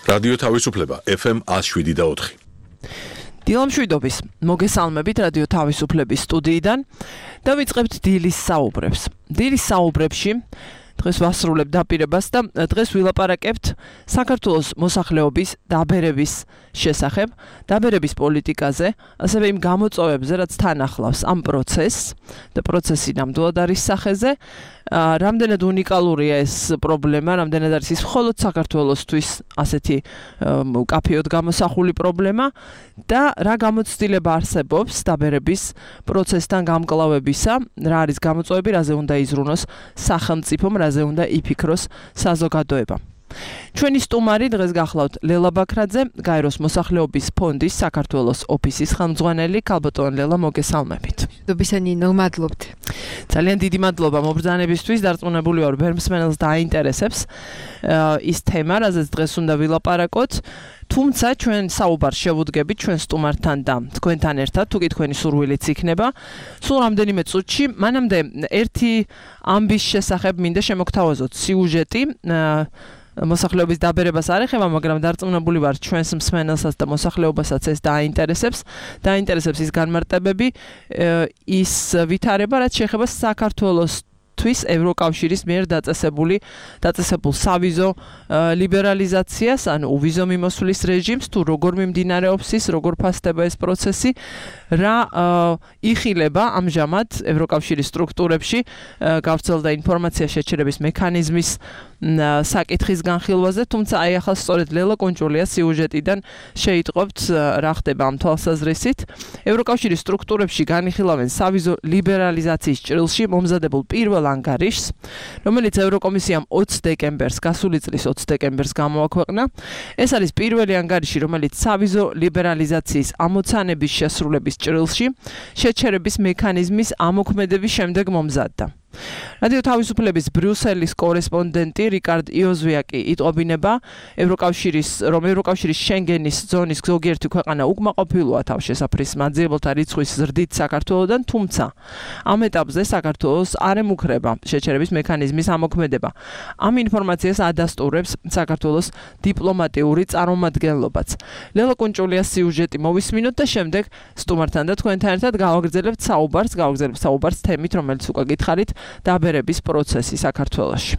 რადიო თავისუფლება FM 107.4. დილამშვიდობის მოგესალმებით რადიო თავისუფლების სტუდიიდან და ვიწყებთ დილის საუბრებს. დილის საუბრებში დღეს ვასრულებ დაპირებას და დღეს ვილაპარაკებთ საქართველოს მოსახლეობის დაბერების შესახებ, დაბერების პოლიტიკაზე, ასევე იმ გამოწვევებზე, რაც თან ახლავს ამ პროცესს და პროცესი ნამდვილად არის სახეზე. რამდენად უნიკალურია ეს პრობლემა, რამდენად არის ის მხოლოდ საქართველოსთვის ასეთი კაფეოდ გამოსახული პრობლემა და რა გამოცდილება არსებობს დაბერების პროცესთან გამკლავებისა, რა არის გამოწვევები, რაზე უნდა იზრუნოს სახელმწიფომ, რაზე უნდა იფიქროს საზოგადოება. ჩვენი სტუმარი დღეს გახლავთ ლელა ბაქრაძე, გაეროს მოსახლეობის ფონდის საქართველოს ოფისის ხელმძღვანელი. ქალბატონ ლელა, მოგესალმებით. დობისანინო, მადლობთ. ძალიან დიდი მადლობა მობრძანებისთვის, დარწმუნებული ვარ ბერმსმენელს დააინტერესებს ის თემა, რაზეც დღეს უნდა ვილაპარაკოთ. თუმცა ჩვენ საუბარს შევუდგებით ჩვენ სტუმართან და თქვენთან ერთად, თუ კი თქვენი სურვილიც იქნება. სულ რამდენიმე წუთში, მანამდე ერთი ამბის შესახებ მინდა შემოგთავაზოთ სიუჟეტი. მოსახლეობის დაბერებას არ ეხება, მაგრამ დარწმუნებული ვარ ჩვენს მსმენელსაც და მოსახლეობასაც ეს დაინტერესებს ის განმარტებები, ის ვითარება, რაც შეეხება საქართველოს ევროკავშირის მიერ დაწესებულ სავიზო ლიბერალიზაციას, ანუ ვიზო მიმოსვლის რეჟიმს, თუ როგორ მიმდინარეობს ის, როგორ ფასდება ეს პროცესი, რა იხილება ამჟამად ევროკავშირის სტრუქტურებში გავრცელდა ინფორმაცია შეჩერების მექანიზმის საკითხის განხილვაზე, თუმცა აი ახლა სწორედ ლელა კონჭულია სიუჟეტიდან შეიტყობთ რა ხდება ამ თვალსაზრისით. ევროკავშირის სტრუქტურებში განიხილავენ სავიზო ლიბერალიზაციის ჭრილში მომზადებულ პირველ ანგარიშს, რომელიც ევროკომისიამ 20 დეკემბერს, გასული წლის 20 დეკემბერს გამოაქვეყნა. ეს არის პირველი ანგარიში, რომელიც სავიზო ლიბერალიზაციის ამოცანების შესრულების ჭრილში შეჩერების მექანიზმის ამოქმედების შემდეგ მომზადდა. რადიო თავისუფლების ბრიუსელის კორესპონდენტი რიკარდ იოზვიაკი იტყობინება, რომ ევროკავშირის შენგენის ზონის ზოგიერთი ქვეყანა უკმაყოფილოა თავშესაფრის მაძიებელთა რიცხვის ზრდით საქართველოდან, თუმცა ამ ეტაპზე საქართველოს არ ემუქრება შეჩერების მექანიზმის ამოქმედება. ამ ინფორმაციას ადასტურებს საქართველოს დიპლომატიური წარმომადგენლობაც. ლელა კონჭულიას სიუჟეტი მოვისმინოთ და შემდეგ სტუმართან და თქვენთან ერთად გავაგრძელებთ საუბარს თემით, რომელიც უკვე გითხარით, დაბერების პროცესი საქართველოში.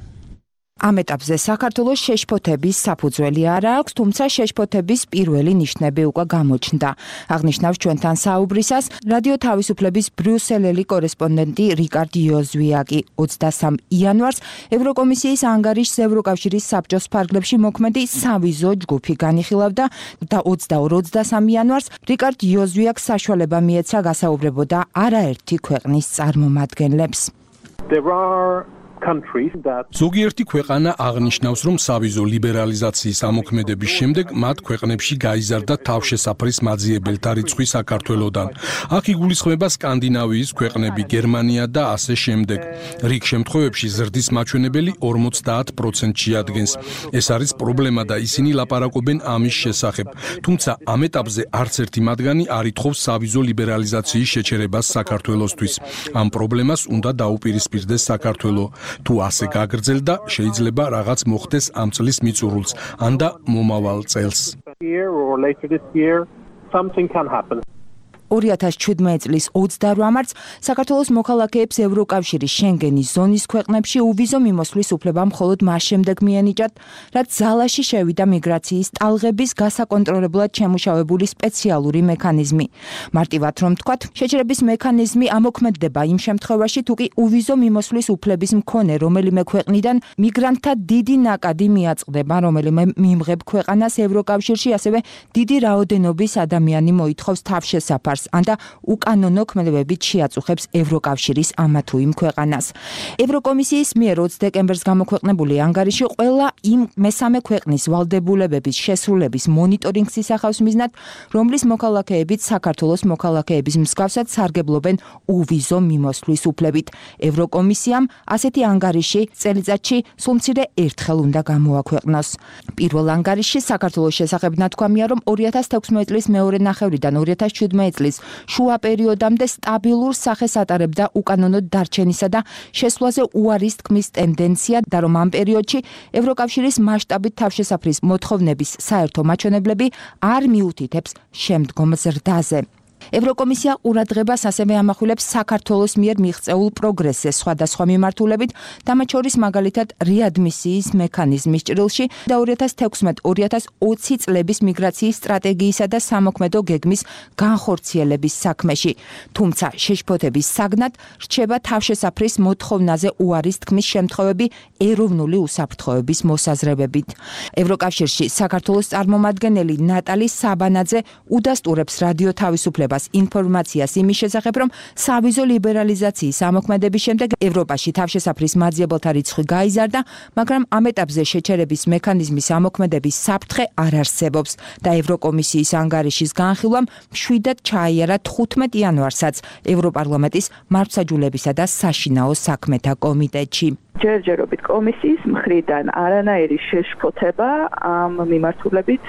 ამ ეტაპზე საქართველოს შეშფოთების საფუძველი არ აქვს, თუმცა შეშფოთების პირველი ნიშნები უკვე გამოჩნდა. აღნიშნავს ჩვენთან საუბრისას რადიო თავისუფლების ბრიუსელელი კორესპონდენტი რიკარდ იოზვიაკი. 23 იანვარს ევროკომისიის ანგარიშს ევროკავშირის საბჭოს ფარგლებში მოქმედი სავიზო ჯგუფი განიხილავდა და 22-23 იანვარს რიკარდ იოზვიაკს საშუალება მიეცა გასაუბრებოდა არაერთი ქვეყნის წარმომადგენლებს. ზოგიერთი ქვეყანა აღნიშნავს, რომ სავიზო ლიბერალიზაციის ამოქმედების შემდეგ მათ ქვეყნებში გაიზარდა თავშესაფრის მაძიებელთა რიცხვი საქართველოდან. აქ იგულისხმება სკანდინავიის ქვეყნები, გერმანია და ასე შემდეგ. რიგ შემთხვევებში ზრდის მაჩვენებელი 50%-ში ადგენს. ეს არის პრობლემა და ისინი ლაპარაკობენ ამის შესახებ. თუმცა ამ ეტაპზე არც ერთი მათგანი არ ითხოვს სავიზო ლიბერალიზაციის შეჩერებას საქართველოსთვის. ამ პრობლემას უნდა დაუპირისპირდეს საქართველო. თუ ასე გაგრძელდა, შეიძლება რაღაც მოხდეს ამ წლის მიწურულს, ან და მომავალ წელს. 2017 წლის 28 მარტს საქართველოს მოქალაქეებს ევროკავშირის შენგენის ზონის ქვეყნებში უვიზო მიმოსვლის უფლება მხოლოდ მას შემდეგ მიენიჭათ, რაც ძალაში შევიდა მიგრაციის ტალღების გასაკონტროლებლად შემუშავებული სპეციალური მექანიზმი. მარტივად რომ ვთქვათ, შეჩერების მექანიზმი ამოქმედდება იმ შემთხვევაში, თუ კი უვიზო მიმოსვლის უფლების მქონე რომელიმე ქვეყნიდან მიგრანტთა დიდი ნაკადი მიაწყდება რომელიმე მიმღებ ქვეყანას ევროკავშირში, ასევე დიდი რაოდენობის ადამიანი მოითხოვს თავშესაფარს ან და უკანონო ქმედებებით შეაწუხებს ევროკავშირის ამა თუ იმ ქვეყანას. ევროკომისიის მიერ 20 დეკემბერს გამოქვეყნებული ანგარიში ყველა იმ მესამე ქვეყნის ვალდებულებების შესრულების მონიტორინგს ისახავს მიზნად, რომლის მოქალაქეებიც საქართველოს მოქალაქეების მსგავსად სარგებლობენ უვიზო მიმოსვლის უფლებით. ევროკომისიამ ასეთი ანგარიში წელიწადში სულ მცირე ერთხელ უნდა გამოაქვეყნოს. პირველ ანგარიშში საქართველოს შესახებ ნათქვამია, რომ 2016 წლის მეორე ნახევრიდან 2017 წლის წლის შუა პერიოდამდე სტაბილურ სახეს ატარებდა უკანონო დარჩენისა და შესვლაზე უარის თქმის ტენდენცია და რომ ამ პერიოდში ევროკავშირის მასშტაბით თავშესაფრის მოთხოვნების საერთო მაჩვენებლები არ მიუთითებს შემდგომ ზრდაზე. ევროკომისია ყურადღებას ასევე ამახვილებს საქართველოს მიერ მიღწეულ პროგრესზე სხვადასხვა მიმართულებით, მათ შორის მაგალითად რეადმისიის მექანიზმის ჭრილში და 2016-2020 წლების მიგრაციის სტრატეგიისა და სამოქმედო გეგმის განხორციელების საქმეში. თუმცა შეშფოთების საგნად რჩება თავშესაფრის მოთხოვნაზე უარის თქმის შემთხვევები ეროვნული უსაფრთხოების მოსაზრებებით. ევროკავშირში საქართველოს წარმომადგენელი ნატალი საბანაძე udasturებს რადიო თავისუფლებას ინფორმაციას იმის შესახებ, რომ სავიზო ლიბერალიზაციის ამოქმედების შემდეგ ევროპაში თავშესაფრის მაძიებელთა რიცხვი გაიზარდა, მაგრამ ამ ეტაპზე შეჩერების მექანიზმის ამოქმედების საფრთხე არ არსებობს და ევროკომისიის ანგარიშის განხილვამ მშვიდად ჩაიარა 15 იანვარსაც ევროპარლამენტის მართლმსაჯულებისა და საშინაო საქმეთა კომიტეტში. ჯერჯერობით კომისიის მხრიდან არანაირი შეშფოთება ამ მიმართულებით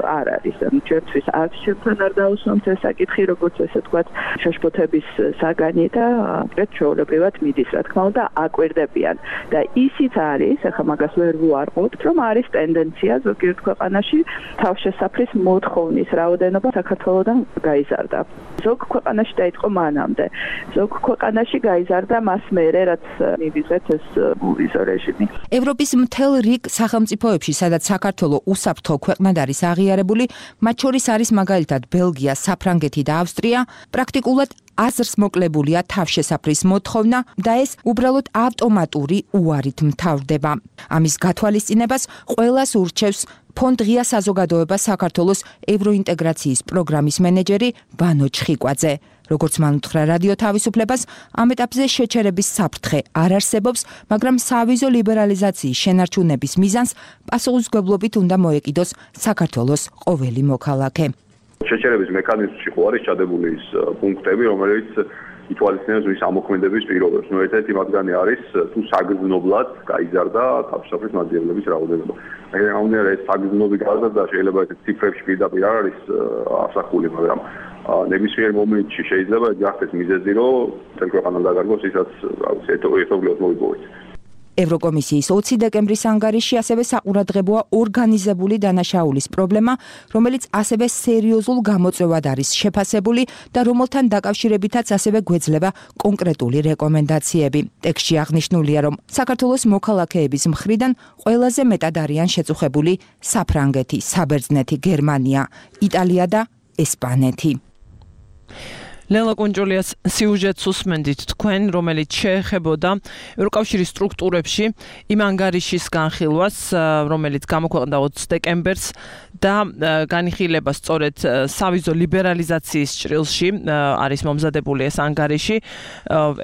არ არის. ჩვენთვის არც ჩემთან არ დაუსვამთ ეს საკითხი, როგორც ესე თქვა, შეშფოთების საგანი და კონკრეტ ჩვეულებრივად მიდის, რა თქმა უნდა, აკვირდებიან. და ისიც არის, ახლა მაგას ვერ ვუარყოფთ, რომ არის ტენდენცია ზოგიერთ ქვეყანაში თავშესაფრის მოთხოვნის რაოდენობა საქართველოსთან გაიზარდა. ზოგ ქვეყანაში დაიწყო მანამდე. ზოგ ქვეყანაში გაიზარდა მას მერე, რაც მივიღეთ ეს ვიზო რეჟიმი. ევროპის მთელ რიგ სახელმწიფოებში, სადაც საქართველოს უსაფრთხო ქვეყნად არის აღიარებული, მათ შორის არის მაგალითად ბელგია, საფრანგეთი და ავსტრია, პრაქტიკულად აზრს მოკლებულია თავშესაფრის მოთხოვნა და ეს უბრალოდ ავტომატური უარით მთავრდება. ამის გათვალისწინებას ყველას ურჩევს ფონდ ღია საზოგადოება საქართველოს ევროინტეგრაციის პროგრამის მენეჯერი ვანო ჩხიკვაძე. როგორც მან უთხრა რადიო თავისუფლებას, ამ ეტაპზე შეჩერების საფრთხე არ არსებობს, მაგრამ სავიზო ლიბერალიზაციის შენარჩუნების მიზანს პასუხისმგებლობით უნდა მოეკიდოს საქართველოს ყოველი მოქალაქე. შეჩერების მექანიზმში ხო არის ჩადებული ის პუნქტები, რომელიც ითვალისწინებს ის ამოქმედების პირობებს. ერთ-ერთი მათგანი არის თუ საგრძნობლად გაიზარდა თავშესაფრის მაძიებლების რაოდენობა. ამგვარად ეს საგრძნობი გაზრდა შეიძლება ეს ციფრებში პირდაპირ არ არის ასახული, მაგრამ ნებისმიერ მომენტში შეიძლება გახდეს მიზეზი, რომ მთელ ქვეყანამ დაგარგოს ისაც ერთობლივად მოიპოვეთ. ევროკომისიის 20 დეკემბრის ანგარიში ასევე საყურადღებოა ორგანიზებული დანაშაულის პრობლემა, რომელიც ასევე სერიოზულ გამოწვევად არის შეფასებული და რომელთან დაკავშირებითაც ასევე გვეძლება კონკრეტული რეკომენდაციები. ტექსტში აღნიშნულია, რომ საქართველოს მოქალაქეების მხრიდან ყველაზე მეტად არიან შეწუხებული საფრანგეთი, საბერძნეთი, გერმანია, იტალია და ესპანეთი. ლელა კუნჯულიას სიუჟეტს უსმენდით თქვენ, რომელიც შეეხებოდა ევროკავშირის სტრუქტურებში იმ ანგარიშის განხილვას, რომელიც გამოქვეყნდა 20 დეკემბერს და განიხილება სწორედ სავიზო ლიბერალიზაციის ჭრილში არის მომზადებული ეს ანგარიში.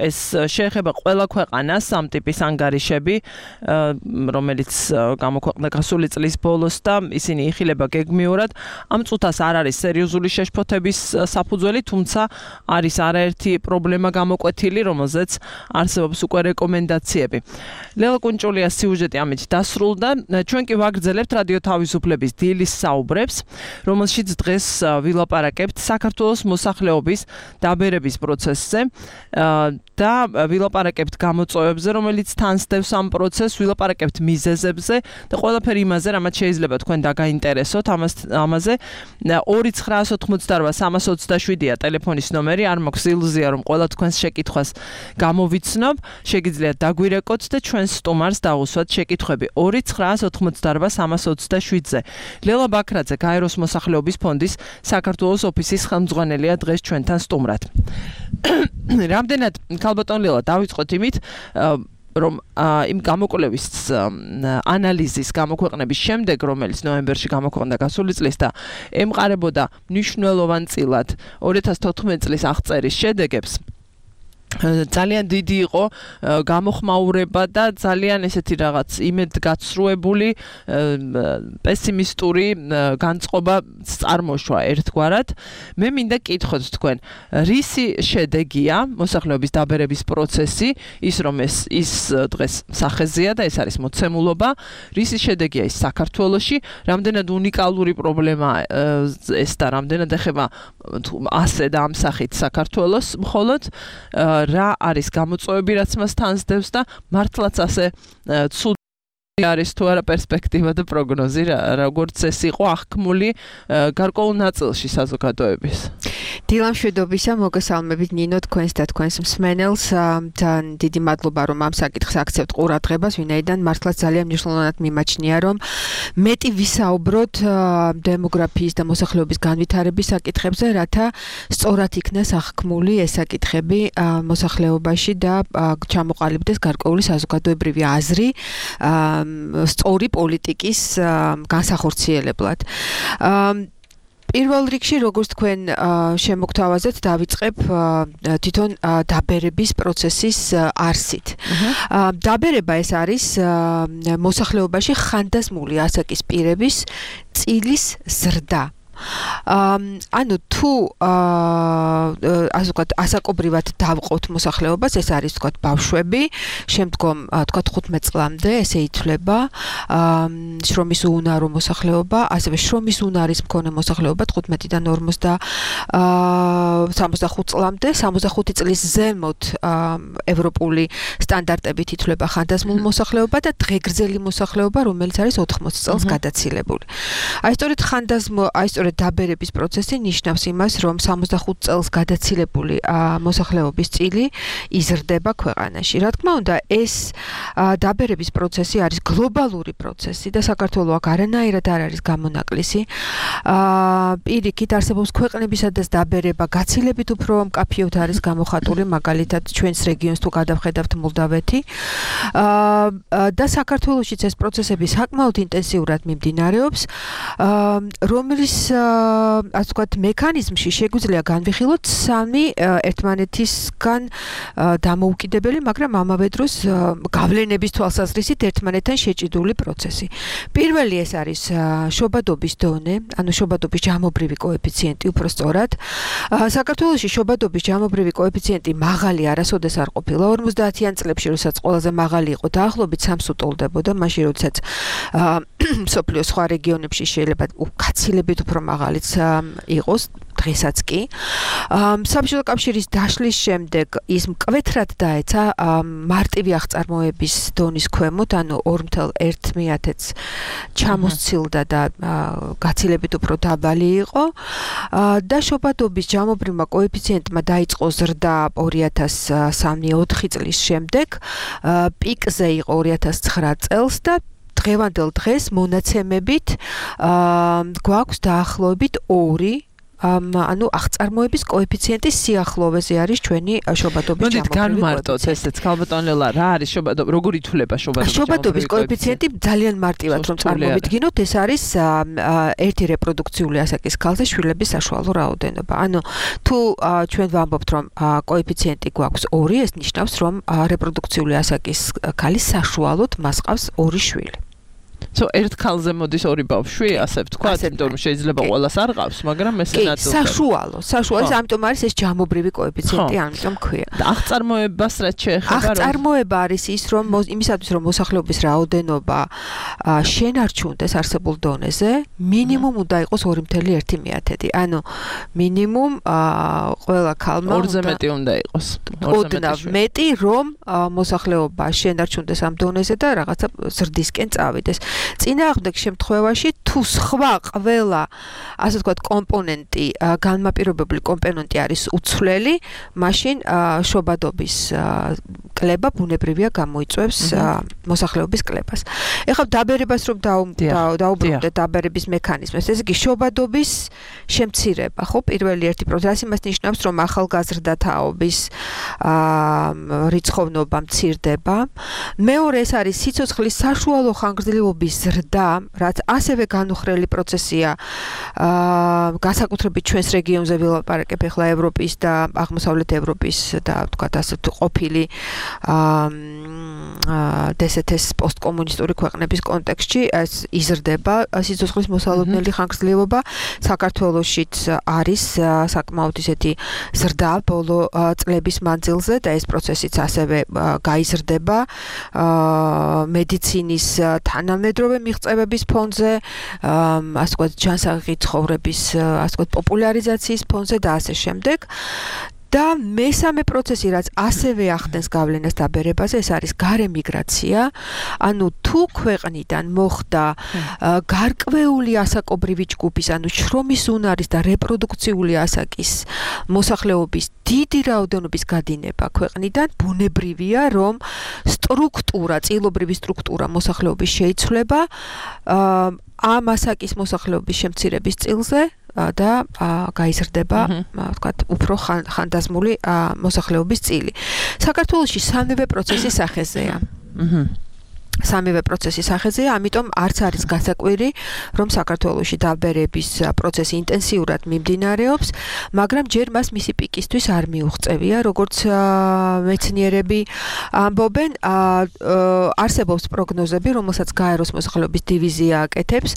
ეს შეეხება ყველა ქვეყანას ამ ტიპის ანგარიშები, რომელიც გამოქვეყნდა გასული წლის ბოლოს და ისინი იხილება გეგმიურად. ამ წუთას არ არის სერიოზული შეშფოთების საფუძველი, თუმცა არის არაერთი პრობლემა გამოკვეთილი, რომელზეც არსებობს უკვე რეკომენდაციები. ლელა კუნჯულიას სიუჟეტი ამით დასრულდა. ჩვენ კი ვაგრძელებთ რადიო თავისუფლების დილის საუბრებს, რომელშიც დღეს ვილაპარაკებთ საქართველოს მოსახლეობის დაბერების პროცესზე და ვილაპარაკებთ გამოწვევებზე, რომელიც თანსდევს ამ პროცესს, ვილაპარაკებთ მიზეზებზე და ყველაფერი იმაზე, რამაც შეიძლება თქვენ დაგაინტერესოთ ამაზე. 2988327-ია ტელეფონის ნომერი, არ მაქვს ილუზია, რომ ყველა თქვენს შეკითხვას გამოვიცნობ, შეგიძლიათ დაგვირეკოთ და ჩვენს სტუმარს დაუსვათ შეკითხვები 2988327-ზე. ლელა ბაქრაძე, გაეროს მოსახლეობის ფონდის საქართველოს ოფისის ხელმძღვანელია დღეს ჩვენთან სტუმრად. რამდენად ქალბატონ ლელა, დავიწყოთ იმით, რომ იმ გამოკვლევის ანალიზის გამოქვეყნების შემდეგ, რომელიც ნოემბერში გამოქვეყნდა გასული წლის და ემყარებოდა მნიშვნელოვან წილად 2014 წლის აღწერის შედეგებს, ძალიან დიდი იყო გამოხმაურება და ძალიან ესეთი რაღაც იმედგაცრუებული პესიმისტური განწყობა წარმოშვა ერთგვარად. მე მინდა კითხოთ თქვენ, რისი შედეგია მოსახლეობის დაბერების პროცესი, ის რომ ის დღეს სახეზეა და ეს არის მოცემულობა, რისი შედეგია ის საქართველოში, რამდენად უნიკალური პრობლემაა ეს და რამდენად ეხება ასე და ამ სახით საქართველოს მხოლოდ რა არის გამოწვევები, რაც მას თანსდევს და მართლაც ასე ცუდი არის თუ არა პერსპექტივა და პროგნოზი, როგორც ეს იყო აღქმული გარკვეულ ნაწილში საზოგადოების. დილამშვიდობისა, მოგესალმებით ნინო თქვენს და თქვენს მსმენელს. ძალიან დიდი მადლობა, რომ ამ საკითხს აქცევთ ყურადღებას, ვინაიდან მართლაც ძალიან მნიშვნელოვნად მიმაჩნია, რომ მეტი ვისაუბროთ დემოგრაფიის და მოსახლეობის განვითარების საკითხებზე, რათა სწორად იქნას აღქმული ეს საკითხები მოსახლეობაში და ჩამოყალიბდეს გარკვეული საზოგადოებრივი აზრი სწორი პოლიტიკის განსახორციელებლად. პირველ რიგში, როგორც თქვენ შემოგთავაზეთ, დავიწყებ თვითონ დაბერების პროცესის არსით. დაბერება ეს არის მოსახლეობაში ხანდაზმული ასაკის პირების წილის ზრდა. ანუ თუ ასე ვთქვათ, ასაკობრივად დავყოთ მოსახლეობას, ეს არის ვთქვათ ბავშვები, შემდგომ ვთქვათ 15 წლამდე ესე ითვლება შრომის უუნარო მოსახლეობა, ასევე შრომის უნარის მქონე მოსახლეობა 15-დან 65 წლამდე, 65 წლის ზემოთ ევროპული სტანდარტებით ითვლება ხანდაზმულ მოსახლეობა და დღეგრძელი მოსახლეობა, რომელიც არის 80 წელს გადაცილებული. აი სწორედ დაბერების პროცესი ნიშნავს იმას, რომ 65 წელს გადაცილებული მოსახლეობის წილი იზრდება ქვეყანაში. რა თქმა უნდა, ეს დაბერების პროცესი არის გლობალური პროცესი და საქართველო აქ არანაირად არ არის გამონაკლისი. პირიქით არსებობს ქვეყნები, სადაც დაბერება გაცილებით უფრო მკაფიოდ არის გამოხატული, მაგალითად ჩვენს რეგიონს თუ გადავხედავთ მოლდავეთი. და საქართველოშიც ეს პროცესები საკმაოდ ინტენსიურად მიმდინარეობს, რომელიც ასე ვთქვათ, მექანიზმში შეგვიძლია განვიხილოთ სამი ერთმანეთისგან დამოუკიდებელი, მაგრამ ამავე დროს გავლენების თვალსაზრისით ერთმანეთთან შეჭიდული პროცესი. პირველი ეს არის შობადობის დონე, ანუ შობადობის ჯამობრივი კოეფიციენტი, უფრო სწორად. საქართველოში შობადობის ჯამობრივი კოეფიციენტი მაღალი არასოდეს არ ყოფილა 50-იან წლებში, როდესაც ყველაზე მაღალი იყო, დაახლოებით 3-ს უტოლდებოდა, მაშინ როდესაც მსოფლიოს სხვა რეგიონებში შეიძლება გაცილებით უფრო მაღალიც იყოს დღესაც კი. საბჭოთა კავშირის დაშლის შემდეგ ის მკვეთრად დაეცა მარტივი აღწარმოების დონის ქვემოთ, ანუ 2.1-ს ჩამოსცილდა და გაცილებით უფრო დაბალი იყო და შობადობის ჯამობრივმა კოეფიციენტმა დაიწყო ზრდა 2003-4 წლის შემდეგ, პიკზე იყო 2009 წელს და დღევანდელ დღეს მონაცემებით გვაქვს დაახლოებით 2 ანუ აღწარმოების კოეფიციენტის სიახლოვეზე არის ჩვენი შობადობის ჯამობრივი კოეფიციენტი. განმარტოთ ესეც ქალბატონელა, რა არის შობადობა, როგორ ითვლება შობადობის კოეფიციენტი? ძალიან მარტივად რომ წარმოვიდგინოთ, ეს არის ერთი რეპროდუქციული ასაკის ქალზე შვილების საშუალო რაოდენობა. ანუ თუ ჩვენ ვამბობთ, რომ კოეფიციენტი გვაქვს 2, ეს ნიშნავს, რომ რეპროდუქციული ასაკის ქალის საშუალოდ მას ყავს 2 შვილი. ერთ ქალზე მოდის 2 ბავშვი, ასე ვთქვათ, იმიტომ რომ შეიძლება ყველას არ ყავს, მაგრამ ესე ნაწილს. საშუალო, ამიტომ არის ეს ჯამობრივი კოეფიციენტი, ამიტომ ქვია. და აღწარმოებას რაც შეეხება, აღწარმოება არის ის, რომ იმისათვის რომ მოსახლეობის რაოდენობა შენარჩუნდეს არსებულ დონეზე, მინიმუმ უნდა იყოს 2.1. ანუ მინიმუმ ყველა ქალმა 2-ზე მეტი უნდა იყოს. ოდნავ მეტი, რომ მოსახლეობა შენარჩუნდეს ამ დონეზე და რაღაცა ზრდისკენ წავიდეს. წინააღმდეგ შემთხვევაში თუ სხვა ყველა ასე ვთქვათ კომპონენტი, განმაპირობებელი კომპონენტი არის უცვლელი, მაშინ შობადობის კლება ბუნებრივია გამოიწვევს მოსახლეობის კლებას. ეხლა დაბერებას რომ დაუბრუნდეთ დაბერების მექანიზმებს, ესე იგი შობადობის შემცირება, ხო, პირველი ერთი პროცესი იმას ნიშნავს, რომ ახალგაზრდა თაობის რიცხოვნობა მცირდება. მეორე ეს არის სიცოცხლის საშუალო ხანგრძლივობის ზრდა, რაც ასევე განუხრელი პროცესია განსაკუთრებით ჩვენს რეგიონზე ვილაპარაკებ ახლა ევროპის და აღმოსავლეთ ევროპის და თქვათ ასე ყოფილი DSS პოსტკომუნისტური ქვეყნების კონტექსტში ეს იზრდება სიცოცხლის მოსალოდნელი ხანგრძლივობა. საქართველოშიც არის საკმაოდ ისეთი ზრდა ბოლო წლების მანძილზე და ეს პროცესიც ასევე გაიზრდება მედიცინის თანამედროვე მიღწევების ფონზე, ასე ვთქვათ, ჯანსაღი ცხოვრების ასე ვთქვათ პოპულარიზაციის ფონზე და ასე შემდეგ. და მესამე პროცესი, რაც ასევე ახდენს გავლენას დაბერებაზე, ეს არის გარე მიგრაცია. ანუ თუ ქვეყნიდან მოხდა გარკვეული ასაკობრივი ჯგუფის, ანუ შრომის უნარის და რეპროდუქციული ასაკის მოსახლეობის დიდი რაოდენობის გადინება ქვეყნიდან, ბუნებრივია, რომ წილობრივი სტრუქტურა მოსახლეობის შეიცვლება ამ ასაკის მოსახლეობის შემცირების წილზე და გაიზრდება, ვთქვათ, უფრო ხანდაზმული მოსახლეობის წილი. საქართველოში სამივე პროცესი სახეზეა. სამივე პროცესი სახეზეა, ამიტომ არც არის გასაკვირი, რომ საქართველოში დაბერების პროცესი ინტენსიურად მიმდინარეობს, მაგრამ ჯერ მას მისი პიკისთვის არ მიუღწევია, როგორც მეცნიერები ამბობენ, არსებობს პროგნოზები, რომელსაც გაეროს მოსახლეობის დივიზია აკეთებს.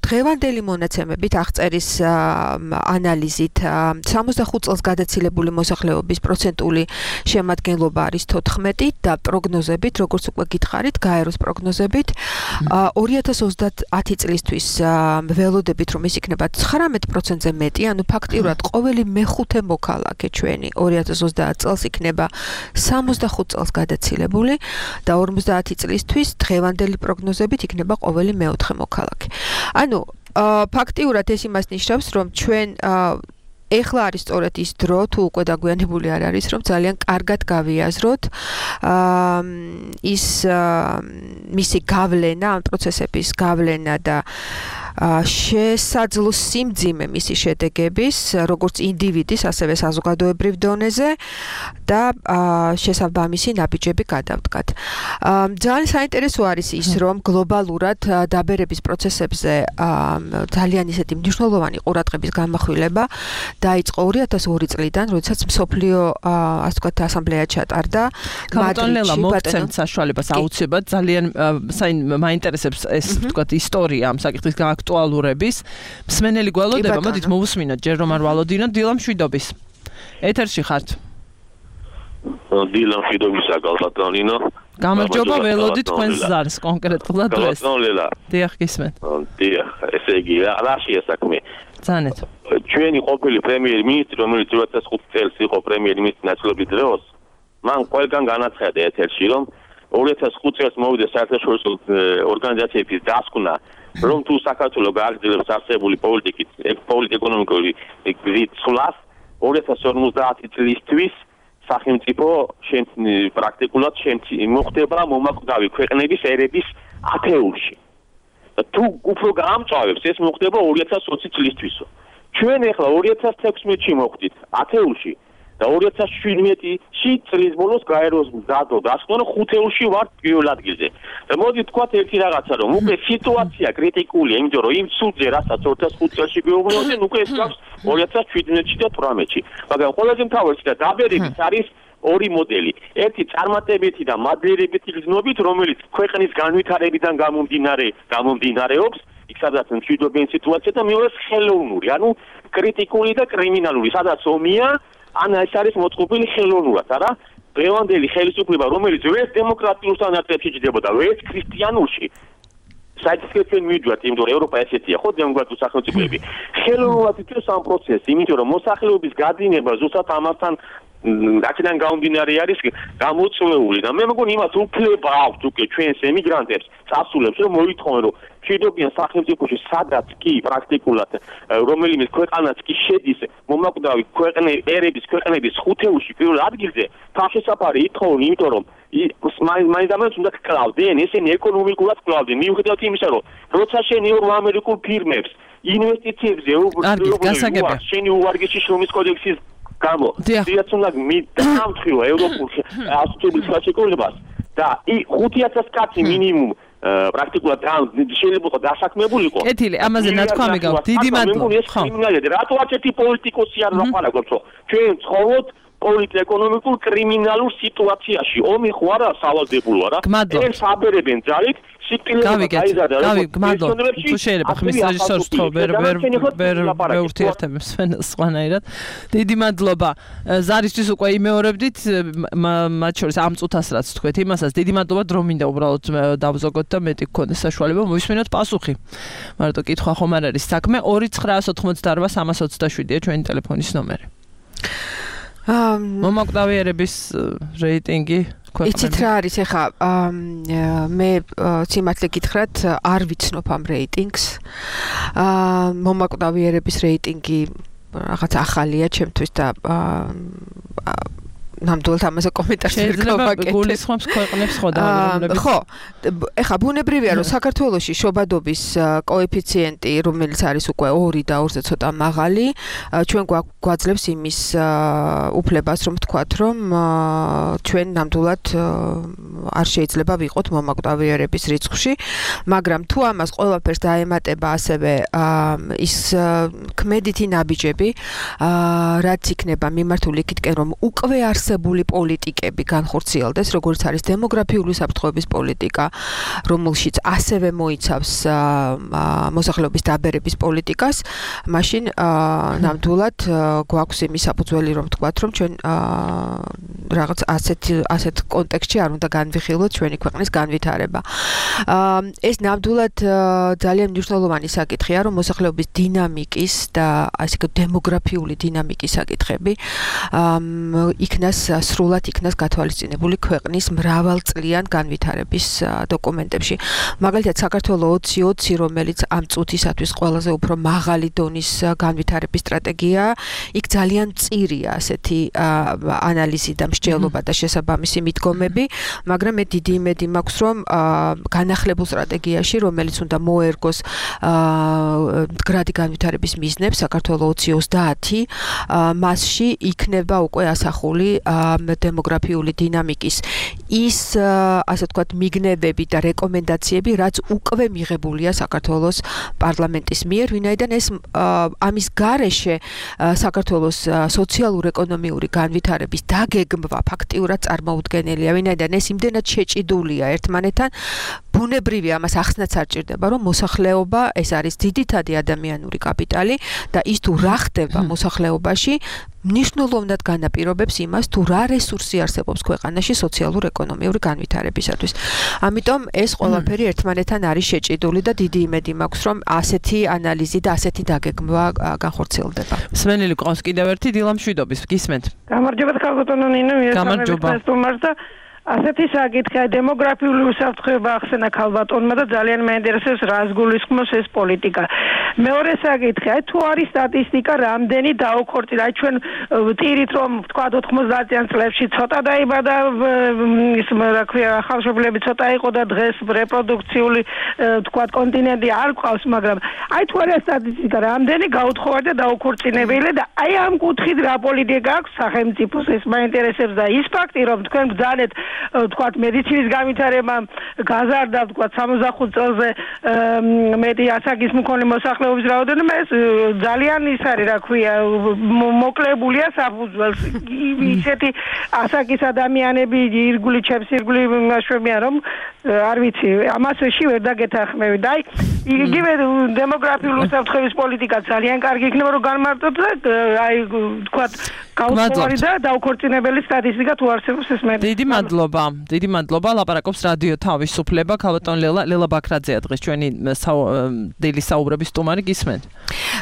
დღევანდელი მონაცემებით აღწერის ანალიზით 65 წელს გადაცილებული მოსახლეობის პროცენტული შემადგენლობა არის 14 და პროგნოზებით, როგორც უკვე გითხარით, გაეროს პროგნოზებით 2030 წლისთვის ველოდებით, რომ ის იქნება 19%-ზე მეტი, ანუ ფაქტიურად ყოველი მეხუთე მოქალაქე ჩვენი 2030 წელს იქნება 65 წელს გადაცილებული და 50 წლისთვის დღევანდელი პროგნოზებით იქნება ყოველი მეოთხე მოქალაქე. ანუ ფაქტიურად ეს იმას ნიშნავს, რომ ჩვენ ეხლა არის სწორედ ის დრო, თუ უკვე დაგვიანებული არ არის, რომ ძალიან კარგად გავიაზროთ ის მისი გავლენა, ამ პროცესების გავლენა და შესაძლო სიმძიმე მისი შედეგების, როგორც ინდივიდის, ასევე საზოგადოებრივ დონეზე და შესაბამისი ნაბიჯები გადავდგათ. ძალიან საინტერესო არის ის, რომ გლობალურად დაბერების პროცესებზე ძალიან ისეთი მნიშვნელოვანი ყურადღების გამახვილება დაიწყო 2002 წლიდან, როდესაც მსოფლიო ასე ვთქვათ ასამბლეა ჩატარდა მადრიდში. მოგცემთ საშუალებას აუცილებლად ძალიან მაინტერესებს ეს ვთქვათ ისტორია ამ საკითხის აქტუალურების. მსმენელი გველოდება, მოდით მოვუსმინოთ ჯერ რომ არ ვალოდინოთ დილა მშვიდობის. ეთერში ხართ. დილა მშვიდობისა გალბატონინო. გამარჯობა, ველოდით თქვენს ზარს კონკრეტულად დღეს. დიახ, გისმენთ. დიახ, ესე იგი, რა შეასაქმე? ძანეთ. ჩვენი ყოფილი პრემიერ-მინისტრი, რომელიც 2005 წელს იყო პრემიერ-მინისტრის ნაწილობის დროს, მან ყველგან განაცხადა ეთერში, რომ 2005 წელს მოვიდა საერთაშორისო ორგანიზაციების დასკვნა, რომ თუ საქართველოს გააგრძელებს არსებული პოლიტიკურ-ეკონომიკური გზით სვლას 2050 წლისთვის სახელმწიფო პრაქტიკულად მოხდება მომაკვდავი ქვეყნების ერების ათეულში. თუ უფრო გაამწვავებს, ეს მოხდება 2020 წლისთვისო. ჩვენ ახლა 2016-ში მოხვდით ათეულში და 2017-ში წლის ბოლოს გაეროს მზადო დასკვნა, რომ ხუთეულში ვართ პირველ ადგილზე. და მოდი თქვათ ერთი რაღაცა, რომ უკვე სიტუაცია კრიტიკულია, იმიტომ რომ იმ ცუდზე, რასაც 2005 წელს გვეუბნებოდნენ, უკვე ეს გვაქვს 2017-ში და 2018-ში. მაგრამ ყველაზე მთავარი და დაბერების არის ორი მოდელი. ერთი წარმატებითი და მადლიერებითი გზნობით, რომელიც ქვეყნის განვითარებიდან გამომდინარეობს, იქ სადაც მშვიდობიანი სიტუაცია და მეორე ხელოვნური, ანუ კრიტიკული და კრიმინალური, სადაც ომია, ან ეს არის მოწყობილი ხელოვნურად, არა? დღევანდელი ხელისუფლება, რომელიც ვერც დემოკრატიულ სტანდარტებში ჯდებოდა, ვერც ქრისტიანულში, საერთოდ ჩვენ მივიდვართ, იმიტომ რომ ევროპა ესეთია, ხო, დემოკრატიული სახელმწიფოები. ხელოვნურად იწევს ამ პროცესს, იმიტომ რომ მოსახლეობის გადინება ზუსტად ამასთან რაკიდან გამომდინარე არის გამოწვეული და მე მგონი იმას უფლება აქვს უკვე ჩვენს ემიგრანტებს წასულებს რომ მოითხოვენ რომ მშვიდობიან სახელმწიფოში სადაც კი პრაქტიკულად რომელიმე ქვეყანაც კი შედის მომაკვდავი ერების ქვეყნების ხუთეულში პირველ ადგილზე თავშესაფარი ითხოვენ იმიტომ რომ მაინც უნდა კლავდნენ ესენი ეკონომიკურად კლავდნენ მიუხედავად იმისა რომ როცა შენ ამერიკულ ფირმებს ინვესტიციებზე შენი უვარგისი შრომის კოდექსის გამო დიახ უნდა დამთხილო ევროპულ ასოციაციების ხელშეკრულებას და 5000 კაცი მინიმუმ პრაქტიკულად შეიძლება დასაქმებულიყო. კეთილი, ამაზე ნათქვამი გაქვს. დიდი მადლობა. ხო. რატო არცეთი პოლიტიკოსი არ ვაპარაკობთ, რომ ჩვენ ცხოვრობთ პოლიტ-ეკონომიკურ კრიმინალურ სიტუაციაში. ომი ხო არა სავალდებულო რა. ეს აბერებენ ძალით თუ შეიძლება ხმის რეჟისორს თქო ვერ ურთიერთებს სხვანაირად. დიდი მადლობა. ზარისთვის უკვე იმეორებდით მათ შორის ამ წუთას რაც თქვეთ იმასაც დიდი მადლობა რომ მინდა უბრალოდ დავზოგოთ და მეტი გქონდეს საშუალება მოვისმინოთ პასუხი. მარტო კითხვა ხომ არ არის საქმე 2988-327-ია ჩვენი ტელეფონის ნომერი. მომაკვდავიერების რეიტინგი იცით რა არის ეხა მე სიმართლე გითხრათ არ ვიცნობ ამ რეიტინგს მომაკვდავიერების რეიტინგი რაღაც ახალია ჩემთვის და ნამდვილად ამაზე კომენტარს ვერ გავაკეთებ. გულისხმობს ქვეყნებს ხო დაავადებულებით. ხო, ეხა ბუნებრივია რომ საქართველოში შობადობის კოეფიციენტი რომელიც არის უკვე 2 და 2-ზე ცოტა მაღალი, ჩვენ გვაძლევს იმის უფლებას რომ ვთქვათ რომ ჩვენ ნამდვილად არ შეიძლება ვიყოთ მომაკვდავიერების რიცხვში, მაგრამ თუ ამას ყველაფერს დაემატება ასევე ის ქმედითი ნაბიჯები, რაც იქნება მიმართული იქითკენ რომ უკვე არსებული პოლიტიკები განხორციელდეს, როგორც არის დემოგრაფიული საფრთხეების პოლიტიკა, რომელშიც ასევე მოიცავს მოსახლეობის დაბერების პოლიტიკას, მაშინ ნამდვილად გვაქვს იმის საფუძველი რომ ვთქვათ, რომ ჩვენ რაღაც ასეთ კონტექსტში არ უნდა განვიხილოთ ჩვენი ქვეყნის განვითარება. ეს ნამდვილად ძალიან მნიშვნელოვანი საკითხია, რომ მოსახლეობის დინამიკის და ასე ვთქვათ დემოგრაფიული დინამიკის საკითხები იქნას სრულად იქნას გათვალისწინებული ქვეყნის მრავალწლიან განვითარების დოკუმენტებში. მაგალითად, საქართველოს 2020, რომელიც ამ წუთისათვის ყველაზე უფრო მაღალი დონის განვითარების სტრატეგია, იქ ძალიან მწირია ასეთი ანალიზი და მსჯელობა და შესაბამისი მიდგომები, მაგრამ მე დიდი იმედი მაქვს, რომ განახლებულ სტრატეგიაში, რომელიც უნდა მოერგოს მდგრადი განვითარების მიზნებს საქართველოს 2030, მასში იქნება უკვე ასახული დემოგრაფიული დინამიკის ის ასე ვთქვათ მიგნებები და რეკომენდაციები, რაც უკვე მიღებულია საქართველოს პარლამენტის მიერ, ვინაიდან ეს ამის გარეშე საქართველოს სოციალურ-ეკონომიური განვითარების დაგეგმვა ფაქტიურად წარმოუდგენელია, ვინაიდან ეს იმდენად შეჭიდულია ერთმანეთთან, ბუნებრივია ამას ახსნაც არ ჭირდება, რომ მოსახლეობა ეს არის ძირითადი ადამიანური კაპიტალი და ის თუ რა ხდება მოსახლეობაში მნიშვნელოვნად განაპირობებს იმას, თუ რა რესურსი არსებობს ქვეყანაში სოციალურ-ეკონომიური განვითარებისათვის. ამიტომ ეს ყველაფერი ერთმანეთთან არის შეჭიდული და დიდი იმედი მაქვს, რომ ასეთი ანალიზი და ასეთი დაგეგმვა განხორციელდება. მსმენელი ყავს კიდევ ერთი დილა მშვიდობის, გისმენთ. გამარჯობა ქალბატონო ნინო, გამარჯობა. ასეთი საკითხია დემოგრაფიული უსაფრთხოება ახსენა ქალბატონმა და ძალიან მეინტერესებს რას გულისხმობს ეს პოლიტიკა. მეორე საკითხია, თუ არის სტატისტიკა რამდენი დაუქორწინა, ჩვენ ვტირით რომ თქვა 90-იან წლებში ცოტა დაიბადა ის რა ქვია ახალშობილები ცოტა იყო და დღეს რეპროდუქციული თქვა კონტინენტი არ ყავს, მაგრამ აი თუ არის სტატისტიკა რამდენი გაუთხოვარდა დაუქორწინებელი და აი ამ კუთხით რა პოლიტიკა აქვს სახელმწიფოს, ეს მეინტერესებს და ის ფაქტი რომ თქვენ ბრძანეთ თქვათ მედიცინის განვითარება გაზარდა თქვათ 65 წელზე მეტი ასაკის მქონე მოსახლეობის რაოდენობა ეს ძალიან ის არის რა ქვია მოკლებულია საფუძველს ისეთი ასაკის ადამიანები ირგვლივ ჩემს ირგვლივ მაშვებიან რომ არ ვიცი ამასში ვერ დაგეთანხმები და აი იგივე დემოგრაფიული უსაფრთხოების პოლიტიკა ძალიან კარგი იქნება რომ განმარტოთ და აი თქვათ გაუცხოარი და დაუქორწინებელი სტატისტიკა თუ არსებობს ეს მე. დიდი მადლობა. ლაპარაკობს რადიო თავისუფლება. ქალბატონ ლელა ბაქრაძეა დღეს ჩვენი დელი საუბრების სტუმარი, გისმენთ?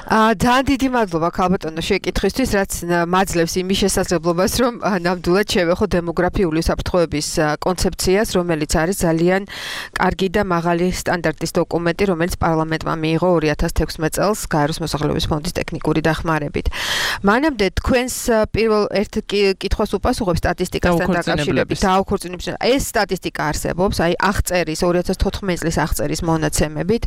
ძალიან დიდი მადლობა ქალბატონო შეკითხვისთვის, რაც მაძლევს იმის შესაძლებლობას, რომ ნამდვილად შევეხო დემოგრაფიული უსაფრთხოების კონცეფციას, რომელიც არის ძალიან კარგი და მაღალი სტანდარტის დოკუმენტი, რომელიც პარლამენტმა მიიღო 2016 წელს გაეროს მოსახლეობის ფონდის ტექნიკური დახმარებით. მანამდე თქვენს პირველ ერთ კითხვას უპასუხებ სტატისტიკასთან დაკავშირებით. დაუქორწინებისა. ეს სტატისტიკა არსებობს, აი აღწერის 2014 წლის აღწერის მონაცემებით,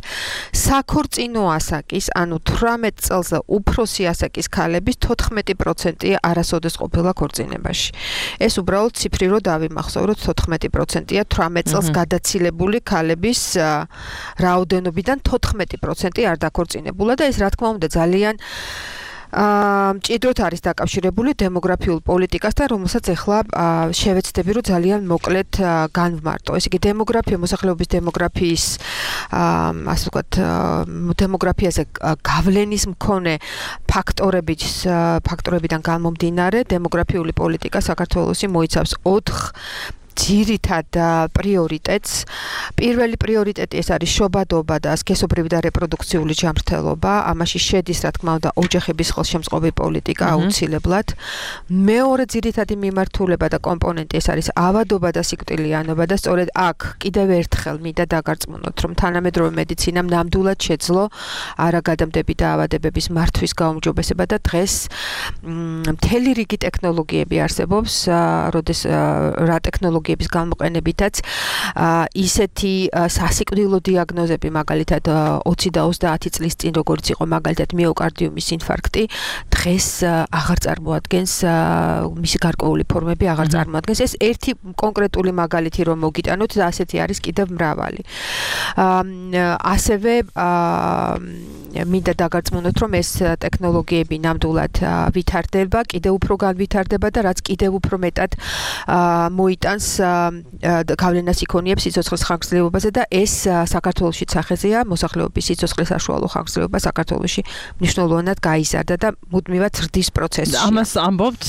საქორწინო ასაკის, ანუ 18 წელზე უფროსი ასაკის ქალების 14% არასოდეს ყოფილა ქორწინებაში. ეს უბრალოდ ციფრი რო დავიმახსოვროთ 14%-ია 18 წელს გადაცილებული ქალების რაოდენობიდან 14% არ დაქორწინებულა და ეს რა თქმა უნდა ძალიან მჭიდროდ არის დაკავშირებული დემოგრაფიულ პოლიტიკასთან, რომელსაც ახლა შევეცდები, რომ ძალიან მოკლედ განვმარტო. ესე იგი, დემოგრაფია, მოსახლეობის დემოგრაფიის, ასე ვთქვათ, დემოგრაფიაზე გავლენის მქონე ფაქტორებიდან გამომდინარე, დემოგრაფიული პოლიტიკა საქართველოში მოიცავს 4 ძირითად პრიორიტეტს. პირველი პრიორიტეტი ეს არის შობადობა და სქესობრივი და რეპროდუქციული ჯანმრთელობა. ამაში შედის, რა თქმა უნდა, ოჯახების ხელშემწყობი პოლიტიკა აუცილებლად. მეორე ძირითადი მიმართულება და კომპონენტი ეს არის ავადობა და სიკვდილიანობა და სწორედ აქ კიდევ ერთხელ მინდა დაგარწმუნოთ, რომ თანამედროვე მედიცინამ ნამდვილად შეძლო არაგადამდები და ავადებების მართვის გაუმჯობესება და დღეს მთელი რიგი ტექნოლოგიები არსებობს, რა ტექნოლოგიების გამოყენებითაც ისეთი სასიკვდილო დიაგნოზები, მაგალითად 20 და 30 წლის წინ როგორც იყო მაგალითად მიოკარდიუმის ინფარქტი, დღეს აღარ წარმოადგენს მისი გარკვეული ფორმები აღარ წარმოადგენს. ეს ერთი კონკრეტული მაგალითი რომ მოგიტანოთ და ასეთი არის კიდევ მრავალი. ასევე მინდა დაგარწმუნოთ, რომ ეს ტექნოლოგიები ნამდვილად ვითარდება, კიდევ უფრო განვითარდება და რაც კიდევ უფრო მეტად მოიტანს გავლენას იქონიებს სიცოცხლის ხანგრძლივობაზე და ეს საქართველოშიც სახეზეა, მოსახლეობის სიცოცხლის საშუალო ხანგრძლივობა საქართველოში მნიშვნელოვნად გაიზარდა და მუდმივად ზრდის პროცესში. ამას ამბობთ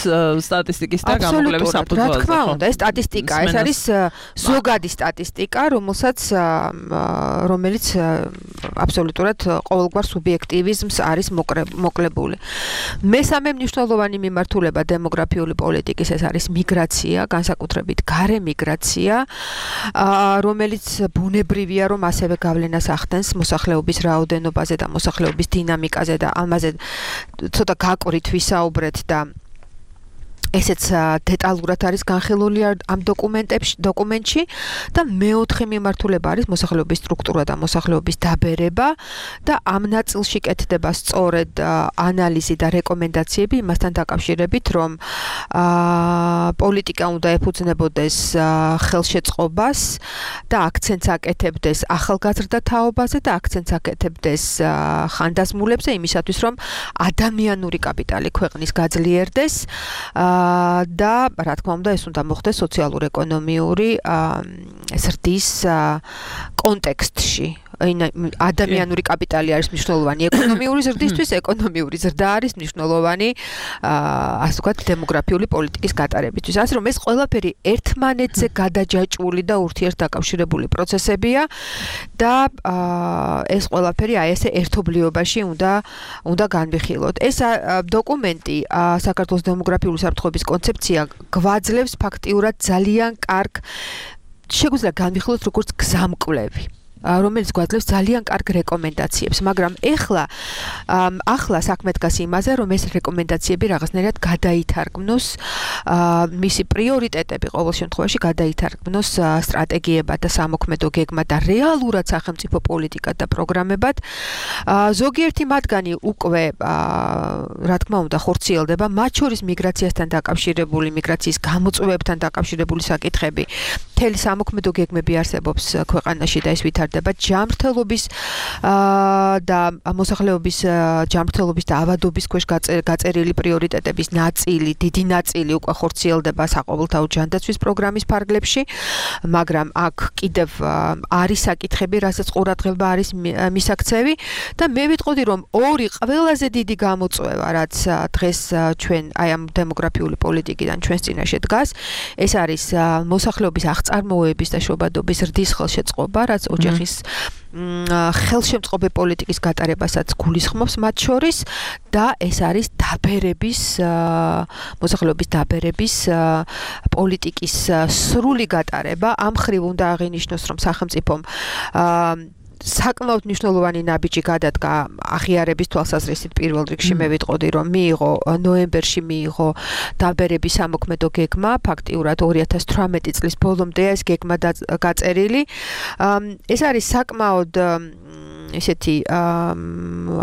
სტატისტიკის და გამოკვლევის საფუძველზე. რა თქმა უნდა, ეს სტატისტიკა, ეს არის ზოგადი სტატისტიკა, რომელიც აბსოლუტურად ყოველგვარ სუბიექტივიზმს არის მოკლებული. მესამე მნიშვნელოვანი მიმართულება დემოგრაფიული პოლიტიკის ეს არის მიგრაცია, განსაკუთრებით გარე მიგრაცია, რომელიც ბუნებრივია, რომ ასევე გავლენას ახდენს მოსახლეობის რაოდენობაზე და მოსახლეობის დინამიკაზე და ამაზე ცოტა გაკვირით ვისაუბრეთ და ესეც დეტალურად არის განხილული ამ დოკუმენტში და მეოთხე მიმართულება არის მოსახლეობის სტრუქტურა და მოსახლეობის დაბერება და ამ ნაწილში კეთდება სწორედ ანალიზი და რეკომენდაციები იმასთან დაკავშირებით, რომ პოლიტიკა უნდა ეფუძნებოდეს ხელშეწყობას და აქცენტს აკეთებდეს ახალგაზრდა თაობაზე და აქცენტს აკეთებდეს ხანდაზმულებზე იმისათვის, რომ ადამიანური კაპიტალი ქვეყნის გაძლიერდეს და რა თქმა უნდა ეს უნდა მოხდეს სოციალურ-ეკონომიური ზრდის კონტექსტში. ადამიანური კაპიტალი არის მნიშვნელოვანი ეკონომიური ზრდისთვის, ეკონომიური ზრდა არის მნიშვნელოვანი ასე ვთქვათ დემოგრაფიული პოლიტიკის გატარებისთვის. ასე რომ ეს ყველაფერი ერთმანეთზე გადაჯაჭვული და ურთიერთდაკავშირებული პროცესებია და ეს ყველაფერი აი ესე ერთობლიობაში უნდა განვიხილოთ. ეს დოკუმენტი საქართველოს დემოგრაფიული საფრთხეების კონცეფცია გვაძლევს ფაქტიურად ძალიან კარგ შეგვიძლია განვიხილოთ როგორც გზამკვლევი, რომელიც გვაძლევს ძალიან კარგ რეკომენდაციებს, მაგრამ ახლა საქმე დგას იმაზე, რომ ეს რეკომენდაციები რაღაცნაირად გადაითარგმნოს, მისი პრიორიტეტები ყოველ შემთხვევაში გადაითარგმნოს სტრატეგიებად და სამოქმედო გეგმად და რეალურად სახელმწიფო პოლიტიკად და პროგრამებად. ზოგიერთი მათგანი უკვე რა თქმა უნდა ხორციელდება, მათ შორის მიგრაციასთან დაკავშირებული, მიგრაციის გამოწვევებთან დაკავშირებული საკითხები მთელი სამოქმედო გეგმები არსებობს ქვეყანაში და ეს ვითარდება ჯანმრთელობის და მოსახლეობის ჯანმრთელობის და ავადობის ქვეშ გაწერილი პრიორიტეტების ნაწილი, დიდი ნაწილი უკვე ხორციელდება საყოველთაო ჯანდაცვის პროგრამის ფარგლებში, მაგრამ აქ კიდევ არის საკითხები, რასაც ყურადღება არის მისაქცევი და მე ვიტყოდი, რომ ორი ყველაზე დიდი გამოწვევა, რაც დღეს ჩვენ აი ამ დემოგრაფიული პოლიტიკიდან ჩვენს წინაშე დგას, ეს არის მოსახლეობის აღწარმოების და შობადობის ზრდის ხელშეწყობა, რაც ოჯახის ხელშემწყობი პოლიტიკის გატარებასაც გულისხმობს მათ შორის და ეს არის დაბერების მოსახლეობის დაბერების პოლიტიკის სრული გატარება. ამ ხრივ უნდა აღინიშნოს, რომ სახელმწიფომ საკმაოდ მნიშვნელოვანი ნაბიჯი გადადგა აღიარების თვალსაზრისით პირველ რიგში მე ვიტყოდი, რომ ნოემბერში მიიღო დაბერების სამოქმედო გეგმა, ფაქტიურად 2018 წლის ბოლომდეა ეს გეგმა გაწერილი. ეს არის საკმაოდ ესეთი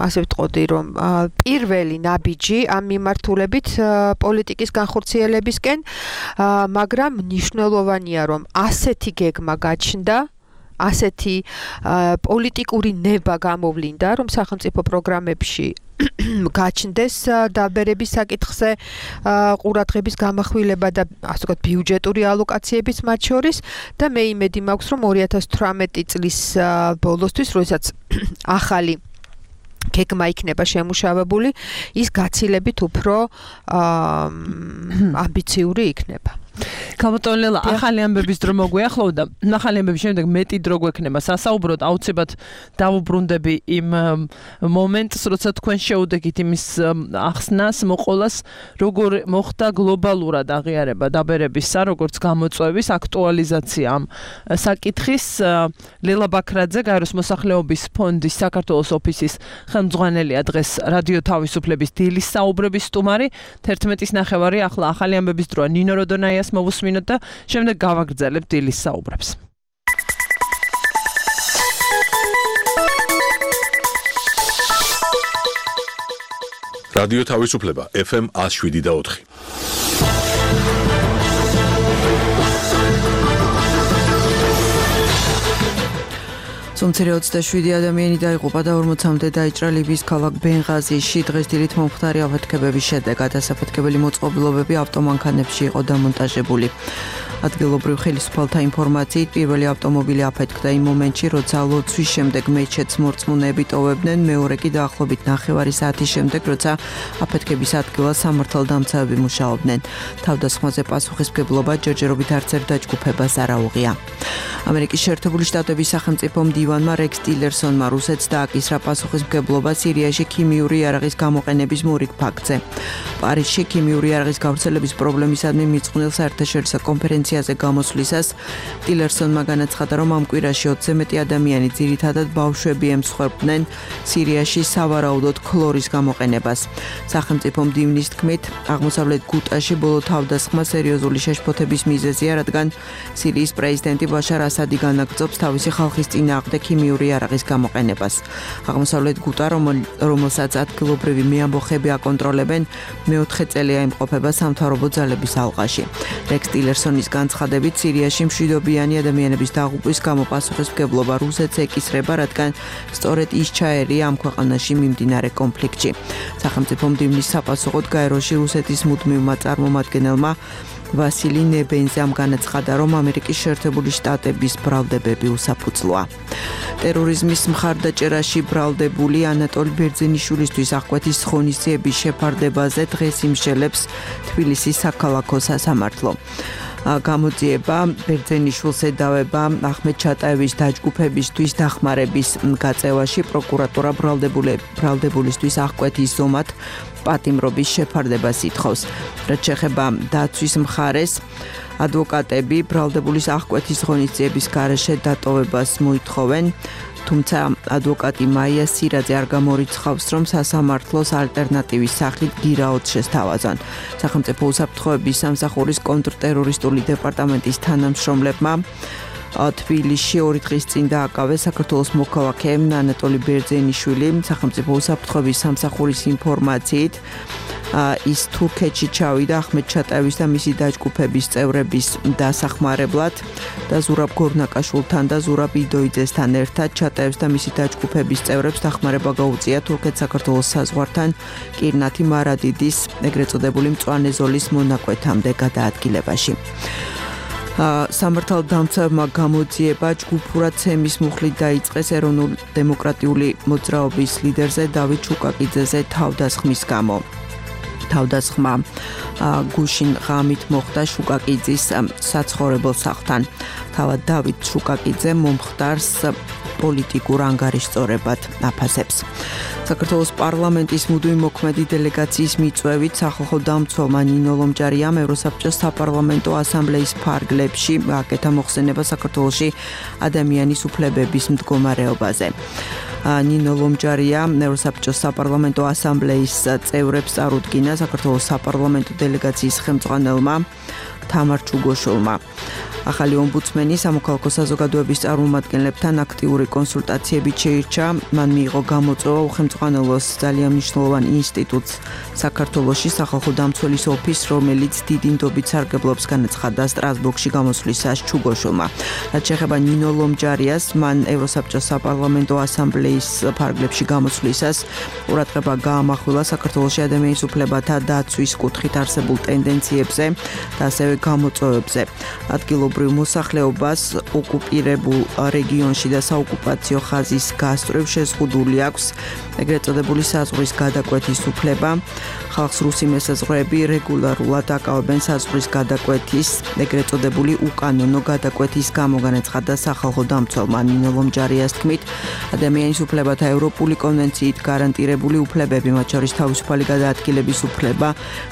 ასე ვიტყოდი, რომ პირველი ნაბიჯი ამ მიმართულებით პოლიტიკის განხორციელებისკენ, მაგრამ მნიშვნელოვანია, რომ ასეთი გეგმა გაჩნდა, ასეთი პოლიტიკური ნება გამოვლინდა, რომ სახელმწიფო პროგრამებში გაჩნდეს დაბერების საკითხზე ყურადღების გამახვილება და ასე ვთქვათ ბიუჯეტური ალოკაციებიც მათ შორის და მე იმედი მაქვს, რომ 2018 წლის ბოლოსთვის, როდესაც ახალი გეგმა იქნება შემუშავებული, ის გაცილებით უფრო ამბიციური იქნება. Ქალბატონელა, ახალი ამბების დრო მოგვიახლოვდა. ახალი ამბების შემდეგ მეტი დრო გვექნება სასაუბროდ, აუცილებლად დავუბრუნდები იმ მომენტს, როცა თქვენ შეუდექით იმის ახსნას, მოყოლას, როგორ მოხდა გლობალურად აღიარება დაბერებისა, როგორც გამოწვევის აქტუალიზაცია ამ საკითხის. ლელა ბაქრაძე, გაეროს მოსახლეობის ფონდის საქართველოს ოფისის ხელმძღვანელია, დღეს რადიო თავისუფლების დილის საუბრების სტუმარი. 11:30 ახლა ახალი ამბების დროა. ნინო როდონაიას მოვუსმინოთ და შემდეგ გავაგრძელებთ დილის საუბრებს. რადიო თავისუფლება FM 107.4. Სომცერე 27 ადამიანი დაიღუპა და 40-მდე დაიჭრა ლიბიის ქალაქ ბენღაზიში. დღეს დილით მომხდარი აფეთქებების შედეგად ასაფეთქებელი მოწყობილობები ავტომანქანებში იყო დამონტაჟებული. ადგილობრივ ხელისუფალთა ინფორმაციით პირველი ავტომობილი აფეთქდა იმ მომენტში, როცა ლოცვის შემდეგ მეჩეთს მორწმუნეები ტოვებდნენ, მეორე კი დაახლოებით 9 საათის შემდეგ, როცა აფეთქების ადგილას სამართალდამცავები მუშაობდნენ. თავდასხმაზე პასუხისმგებლობა ჯერჯერობით არც ერთ დაჯგუფებას არ აუღია. ამერიკის შეერთებული შტატების სახელმწიფო მდივანმა რექს ტილერსონმა რუსეთს დააკისრა პასუხისმგებლობა სირიაში ქიმიური იარაღის გამოყენების მორიგ ფაქტზე. პარიზში ქიმიური იარაღის გავრცელების პრობლემისადმი მიწყვნილ საერთაშორისო კონფერენციაზე გამოსვლისას ტილერსონმა განაცხადა, რომ ამ კვირაში 20-ზე მეტი ადამიანი, ძირითადად ბავშვები, ემსხვერპლდნენ სირიაში სავარაუდოდ ქლორის გამოყენებას. სახელმწიფო მდივნის თქმით, აღმოსავლეთ გუტაში ბოლო თავდასხმა სერიოზული შეშფოთების მიზეზია, რადგან სირიის პრეზიდენტი ბაშარ ასადი განაგრძობს თავისი ხალხის წინააღმდეგ ქიმიური იარაღის გამოყენებას. აღმოსავლეთ გუტა, რომელსაც ადგილობრივი მეამბოხები აკონტროლებენ, მეოთხე წელია იმყოფება სამთავრობო ძალების ალყაში. რექს ტილერსონის განცხადებით, სირიაში მშვიდობიანი ადამიანების დაღუპვის გამო პასუხისმგებლობა რუსეთს ეკისრება, რადგან სწორედ ის ჩაერია ამ ქვეყანაში მიმდინარე კონფლიქტში. სახელმწიფო მდივნის საპასუხოდ გაეროში რუსეთის მუდმივმა წარმომადგენელმა ვასილი ნებენზამ განაცხადა, რომ ამერიკის შეერთებული შტატების ბრალდებები უსაფუძვლოა. ტერორიზმის მხარდაჭერაში ბრალდებული ანატოლი ბერძენიშვილისთვის აღკვეთის ღონისძიების შეფარდებაზე დღეს იმშელებს თბილისის საქალაქო სასამართლო. გამოძიება ბერძენიშვილს ედავება ახმედ ჩატაევის დაჯგუფებისთვის დახმარების გაწევაში. პროკურატურა ბრალდებულისთვის აღკვეთის ზომად პატიმრობის შეფარდებას ითხოვს. რაც შეეხება დაცვის მხარეს, ადვოკატები ბრალდებულის აღკვეთის ღონისძიების გარეშე დატოვებას მოითხოვენ. თუმცა ადვოკატი მაია სირაძე არ გამორიცხავს, რომ სასამართლოს ალტერნატივის სახით გირაოდ შესთავაზონ. სახელმწიფო უსაფრთხოების სამსახურის კონტრტერორისტული დეპარტამენტის თანამშრომლებმა თბილისში 2 დღის წინ დააკავეს საქართველოს მოქალაქე ანატოლი ბერძენიშვილი. სახელმწიფო უსაფრთხოების სამსახურის ინფორმაციით ის თურქეთში ჩავიდა ახმედ ჩატაევის და მისი დაჯგუფების წევრების დასახმარებლად და ზურაბ გორნაკაშვილთან და ზურაბ იდოიძესთან ერთად ჩატაევს და მისი დაჯგუფების წევრებს დახმარება გაუწია თურქეთ-საქართველოს საზღვართან კირნათი მარადიდის ეგრეთ წოდებული მწვანე ზოლის მონაკვეთამდე გადაადგილებაში. სამართალდამცავმა გამოძიება ჯგუფურად ცემის მუხლით დაიწყეს ეროვნულ დემოკრატიული მოძრაობის ლიდერზე დავით შუკაკიძეზე თავდასხმის გამო. თავდასხმა გუშინ ღამით მოხდა შუკაკიძის საცხოვრებელ სახლთან. თავად დავით შუკაკიძე მომხდარს პოლიტიკურ ანგარიშწორებად აფასებს. საქართველოს პარლამენტის მუდმივი მოქმედი დელეგაციის მიწვევით სახალხო დამცველმა ნინო ლომჯარიამ ევროსაბჭოს საპარლამენტო ასამბლეის ფარგლებში აკეთა მოხსენება საქართველოში ადამიანის უფლებების მდგომარეობაზე. ნინო ლომჯარია ევროსაბჭოს საპარლამენტო ასამბლეის წევრებს წარუდგინა საქართველოს საპარლამენტო დელეგაციის ხელმძღვანელმა თამარ ჩუგოშვილმა. ახალი ომბუდსმენი სამოქალაქო საზოგადოების წარმომადგენლებთან აქტიური კონსულტაციებით შეირჩა. მან მიიღო გამოწვევა უხელმძღვანელოს ძალიან მნიშვნელოვან ინსტიტუტს საქართველოში სახალხო დამცველის ოფისს, რომელიც დიდი ნდობით სარგებლობს, განაცხადა სტრასბურგში გამოსვლისას ჩუგოშვილმა. რაც შეეხება ნინო ლომჯარიას, მან ევროსაბჭოს საპარლამენტო ასამბლეის ფარგლებში გამოსვლისას ყურადღება გაამახვილა საქართველოში ადამიანის უფლებათა დაცვის კუთხით არსებულ ტენდენციებზე და ასევე გამოწვევებზე. ადგილობრივ მოსახლეობას ოკუპირებულ რეგიონში და საოკუპაციო ხაზის გასწვრივ შეზღუდული აქვს ეგრეთ წოდებული საზღვრის გადაკვეთის უფლება. ხალხს რუსი მესაზღვრეები რეგულარულად აკავებენ საზღვრის გადაკვეთის ეგრეთ წოდებული უკანონო გადაკვეთის გამო, განაცხადა სახალხო დამცველმა ნინო ლომჯარიას თქმით, ადამიანის უფლებათა ევროპული კონვენციით გარანტირებული უფლებები, მათ შორის თავისუფალი გადაადგილების უფლება,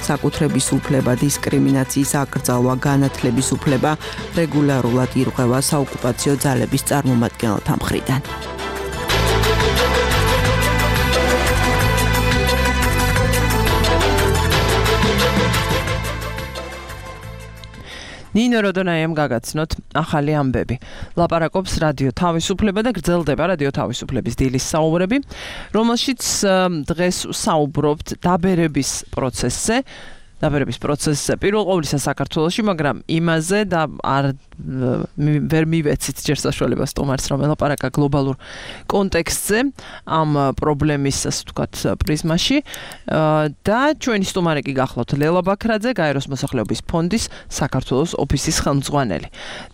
საკუთრების უფლება, დისკრიმინაციის აკრძალვა, განათლების უფლება რეგულარულად ირღვევა საოკუპაციო ძალების წარმომადგენელთა მხრიდან. ნინო როდონაიამ გაგაცნოთ ახალი ამბები. ლაპარაკობს რადიო თავისუფლება და გრძელდება რადიო თავისუფლების დილის საუბრები, რომელშიც დღეს საუბრობთ დაბერების პროცესზე. პირველ ყოვლისა საქართველოში, მაგრამ იმაზე და ვერ მივეცით ჯერ საშუალება სტუმარს, რომ ელაპარაკა გლობალურ კონტექსტზე ამ პრობლემის, ასე ვთქვათ, პრიზმაში. და ჩვენი სტუმარი კი გახლავთ ლელა ბაქრაძე, გაეროს მოსახლეობის ფონდის საქართველოს ოფისის ხელმძღვანელი.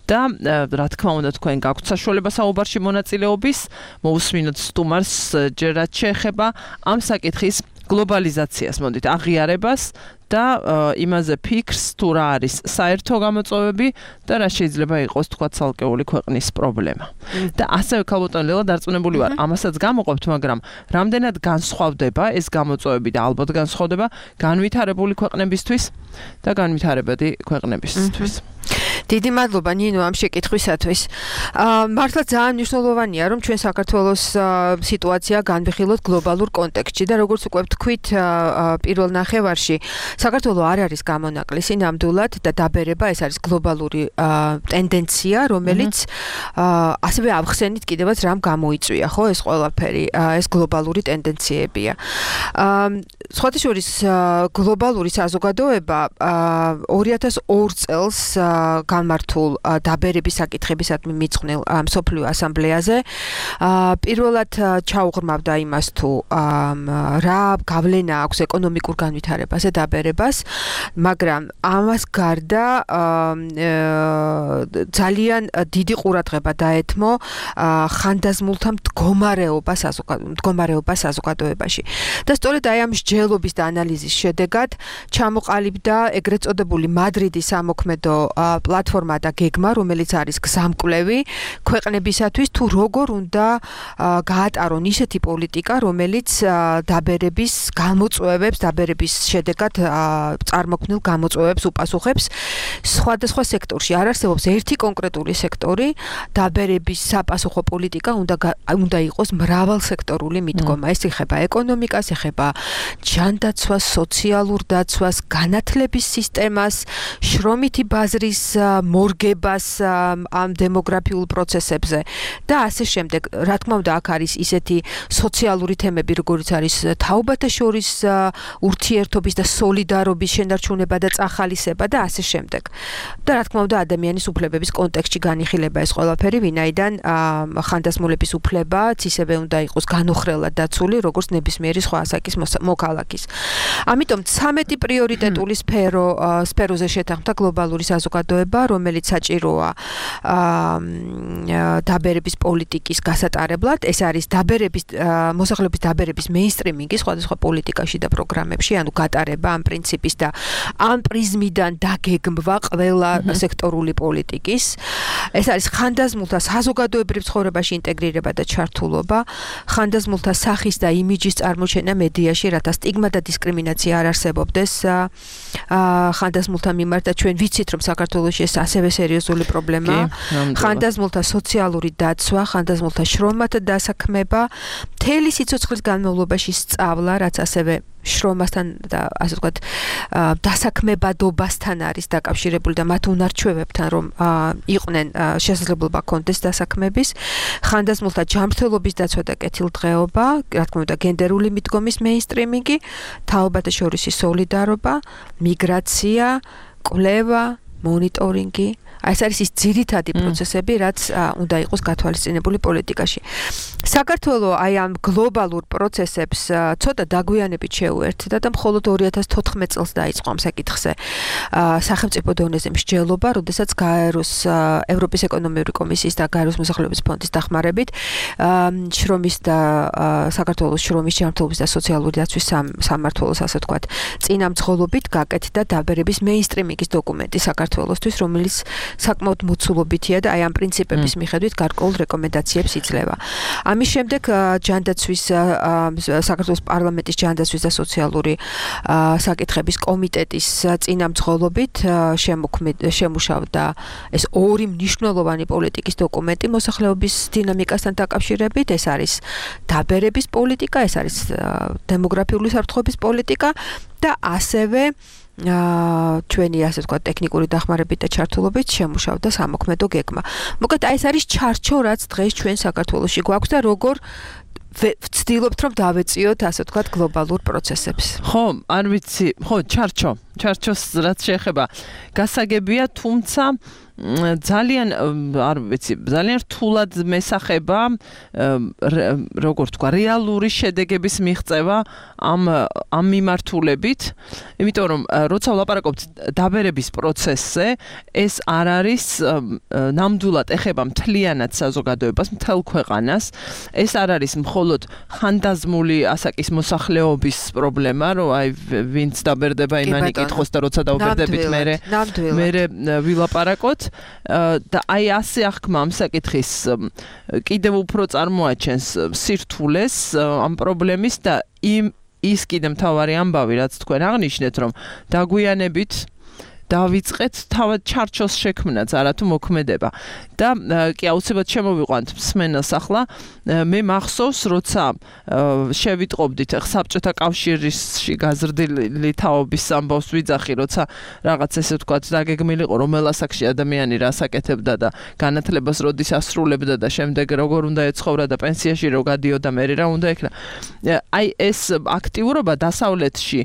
და რა თქმა უნდა, თქვენ გაქვთ საშუალება საუბარში მონაწილეობის, მოусმინოთ სტუმარს ჯერ რაც შეეხება ამ საკითხის გლობალიზაციას, მოდით აღიარებას და იმაზე ფიქრს, თუ რა არის საერთო გამოწვევები და რა შეიძლება იყოს თქვა ცალკეული ქვეყნის პრობლემა. და ასევე ქალბატონ ლელა დარწმუნებული ვარ, ამასაც გამოყოფთ, მაგრამ რამდენად განსხვავდება ეს გამოწვევები და ალბათ განსხვავდება განვითარებული ქვეყნებისთვის და განვითარებადი ქვეყნებისთვის. დიდი მადლობა ნინო ამ შეკითხვისათვის. მართლა ძალიან მნიშვნელოვანია, რომ ჩვენ საქართველოს სიტუაცია განვიხილოთ გლობალურ კონტექსტში და როგორც უკვე ვთქვით პირველ ნახევარში, საქართველო არ არის გამონაკლისი ნამდვილად და დაბერება ეს არის გლობალური ტენდენცია, რომელიც ასევე ავხსენით კიდევაც რამ გამოიწვია, ხო, ეს ყველაფერი, ეს გლობალური ტენდენციებია. სხვათა შორის გლობალური საზოგადოება 2002 წელს განმართულ დაბერების საკითხებისადმი მიწყვნილ მსოფლიო ასამბლეაზე პირველად ჩაუღრმავდა იმას თუ რა გავლენა აქვს ეკონომიკურ განვითარებაზე დაბერებას, მაგრამ ამას გარდა ძალიან დიდი ყურადღება დაეთმო ხანდაზმულთა მდგომარეობა საზოგადოებაში. და სწორედ აი ამ მსჯელობის და ანალიზის შედეგად ჩამოყალიბდა ეგრეთ წოდებული მადრიდის სამოქმედო პლატფორმა და გეგმა, რომელიც არის გზამკვლევი ქვეყნებისათვის, თუ როგორ უნდა გაატარონ ისეთი პოლიტიკა, რომელიც დაბერების გამოწვევებს, დაბერების შედეგად წარმოქმნილ გამოწვევებს უპასუხებს. სხვადასხვა სექტორში არ არსებობს ერთი კონკრეტული სექტორი, დაბერების საპასუხო პოლიტიკა უნდა იყოს მრავალსექტორული მიდგომა. ეს ეხება ეკონომიკას, ეხება ჯანდაცვას, სოციალურ დაცვას, განათლების სისტემას, შრომითი ბაზრის მორგებას ამ დემოგრაფიულ პროცესებზე და ასე შემდეგ. Რა თქმა უნდა, აქ არის ისეთი სოციალური თემები, როგორიც არის თაობათა შორის ურთიერთობის და სოლიდარობის შენარჩუნება და წახალისება და ასე შემდეგ. და რა თქმა უნდა, ადამიანის უფლებების კონტექსტში განიხილება ეს ყველაფერი, ვინაიდან ხანდაზმულების უფლებაც ისევე უნდა იყოს განუხრელად დაცული, როგორც ნებისმიერი სხვა ასაკის მოქალაქის. ამიტომ 13 პრიორიტეტული სფეროზე შეთანხმდა გლობალური საზოგადოება, რომელიც საჭიროა დაბერების პოლიტიკის გასატარებლად. ეს არის მოსახლეობის დაბერების მეინსტრიმინგი სხვადასხვა პოლიტიკაში და პროგრამებში, ანუ გატარება ამ პრინციპის და ამ პრიზმიდან დაგეგმვა ყველა სექტორული პოლიტიკის. ეს არის ხანდაზმულთა საზოგადოებრივ ცხოვრებაში ინტეგრირება და ჩართულობა, ხანდაზმულთა სახის და იმიჯის წარმოჩენა მედიაში, რათა სტიგმა და დისკრიმინაცია არ არსებობდეს ხანდაზმულთა მიმართ და ჩვენ ვიცით, რომ საქართველოში ეს ასევე სერიოზული პრობლემაა. ხანდაზმულთა სოციალური დაცვა, ხანდაზმულთა შრომათა დასაქმება, მთელი სიცოცხლის განმავლობაში სწავლა, რაც ასევე შრომასთან და ასე ვთქვათ დასაქმებადობასთან არის დაკავშირებული და მათ უნარჩვევებთან რომ იყვნენ შესაძლებლობა ჰქონდეს დასაქმების, ხანდაზმულთა ჯანმრთელობის დაცვა და კეთილდღეობა, რა თქმა უნდა გენდერული მიდგომის მეინსტრიმინგი, თაობათა შორისი სოლიდარობა, მიგრაცია, კვლევა, მონიტორინგი. ეს არის ის ძირითადი პროცესები, რაც უნდა იყოს გათვალისწინებული პოლიტიკაში. საქართველოს აი ამ გლობალურ პროცესებს ცოტა დაგვიანებით შეუერთდა და მხოლოდ 2014 წელს დაიწყო ამ საკითხზე სახელმწიფო დონეზე მსჯელობა, როდესაც გაეროს ევროპის ეკონომიკური კომისიის და გაეროს მოსახლეობის ფონდის დახმარებით შრომის და საქართველოს შრომის ჯანმრთელობის და სოციალური დაცვის სამმართველოს ასე ვთქვათ წინამძღოლობით გაკეთდა დაბერების მეინსტრიმინგის დოკუმენტი საქართველოსთვის, რომელიც საკმაოდ მოცულობითია და აი ამ პრინციპების მიხედვით გარკვეულ რეკომენდაციებს იძლევა. ამის შემდეგ ჯანდაცვის საქართველოს პარლამენტის ჯანდაცვის და სოციალური საკითხების კომიტეტის წინამძღოლობით შემუშავდა ეს ორი მნიშვნელოვანი პოლიტიკის დოკუმენტი მოსახლეობის დინამიკასთან დაკავშირებით. ეს არის დაბერების პოლიტიკა, ეს არის დემოგრაფიული საფრთხების პოლიტიკა და ასევე ჩვენი ასე ვთქვათ ტექნიკური დახმარებით და ჩართულობით შემუშავდა სამოქმედო გეგმა. მოკლედ აი ეს არის ჩარჩო, რაც დღეს ჩვენ საქართველოში გვაქვს და როგორ ვცდილობთ რომ დავეწიოთ ასე ვთქვათ გლობალურ პროცესებს. ხო, არ ვიცი, ხო, ჩარჩოს რაც შეეხება გასაგებია, თუმცა ძალიან არ ვიცი, ძალიან რთულად მესახება როგორ თქვა, რეალური შედეგების მიღწევა ამ მიმართულებით, იმიტომ რომ როცა ვლაპარაკობთ დაბერების პროცესზე, ეს არ არის ნამდვილად ეხება მთლიანად საზოგადოებას, მთელ ქვეყანას, ეს არ არის მხოლოდ ხანდაზმული ასაკის მოსახლეობის პრობლემა, რომ აი ვინც დაბერდება იმანი კითხოს და როცა დაუბერდებით მე ვილაპარაკოთ. და აი ასე აღქმა ამ საკითხის კიდევ უფრო წარმოაჩენს სირთულეს ამ პრობლემის და ის კიდე მთავარი ამბავი, რაც თქვენ აღნიშნეთ, რომ დაგვიანებით დავიწყეთ თავად ჩარჩოს შექმნაც, არათუ მოქმედება. და კი აუცილებლად შემოვიყვანთ მსმენელს ახლა, მე მახსოვს, როცა შევიტყობდით საბჭოთა კავშირში გაზრდილი თაობის ამბავს ვიძახი, როცა რაღაც ესე ვთქვათ დაგეგმილიყო, რომელ ასაკში ადამიანი რას აკეთებდა და განათლებას როდის ასრულებდა და შემდეგ როგორ უნდა ეცხოვრა და პენსიაში რო გადიოდა, მე რა უნდა ეკრა. აი ეს აქტიურობა დასავლეთში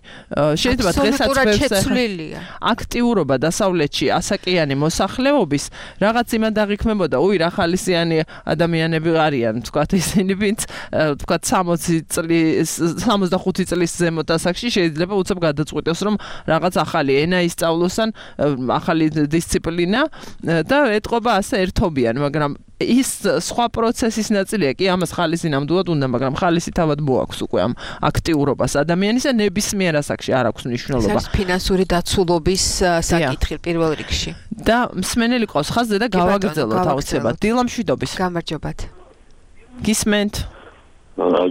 შეიძლება დღესაც შეცვლილია. აქტიურობა დასავლეთში ასაკიანი მოსახლეობის რაღაც იმად აღიქმებოდა, რა ხალისიანი ადამიანები არიან, თქვათ ისინი, ვინც თქვათ 65 წლის ზემოთ ასაკში შეიძლება უცებ გადაწყვიტოს, რომ რაღაც ახალი ენა ისწავლოსან, ახალი დისციპლინა და ეტყობა ასე ერთობიან, მაგრამ ის სხვა პროცესის ნაწილია, კი ამას ხალისი ნამდვილად უნდა, მაგრამ ხალისი თავად მოაქვს უკვე ამ აქტიურობას ადამიანისა ნებისმიერ ასაკში არ აქვს მნიშვნელობა. ეს ფინანსური დაცულობის საკითხი პირველ რიგში. და მსმენელი ყავს ხაზზე და გავაგრძელოთ აუცილებლად. დილა მშვიდობის. გამარჯობათ. გისმენთ.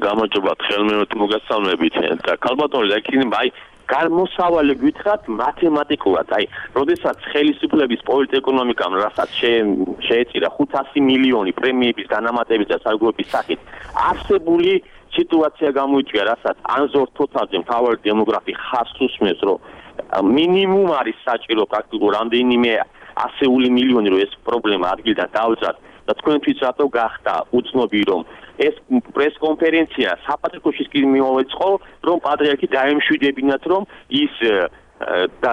გამარჯობათ, ხელმეორედ მოგესალმებით და ქალბატონი და იქნება აი გამოსავალი გითხრათ მათემატიკურად, აი, როდესაც ხელისუფლების პოლიტეკონომიკამ რასაც შეეწირა 500 მილიონი პრემიების განამატების და სარგებლობის სახით, არსებული სიტუაცია გამოიწვია, რასაც ანზორ თოთაძე მთავარი დემოგრაფი ხაზს უსმენს, რომ მინიმუმ არის საჭირო პრაქტიკულ რამდენიმე ასეული მილიონი რომ ეს პრობლემა ადგილიდან დავძრათ და თქვენთვის რატო გახდა უცნობი რომ ეს პრესკონფერენცია საპატრიარქოში კი მოვეწყო რომ პატრიარქი დაემშვიდებინათ რომ ის და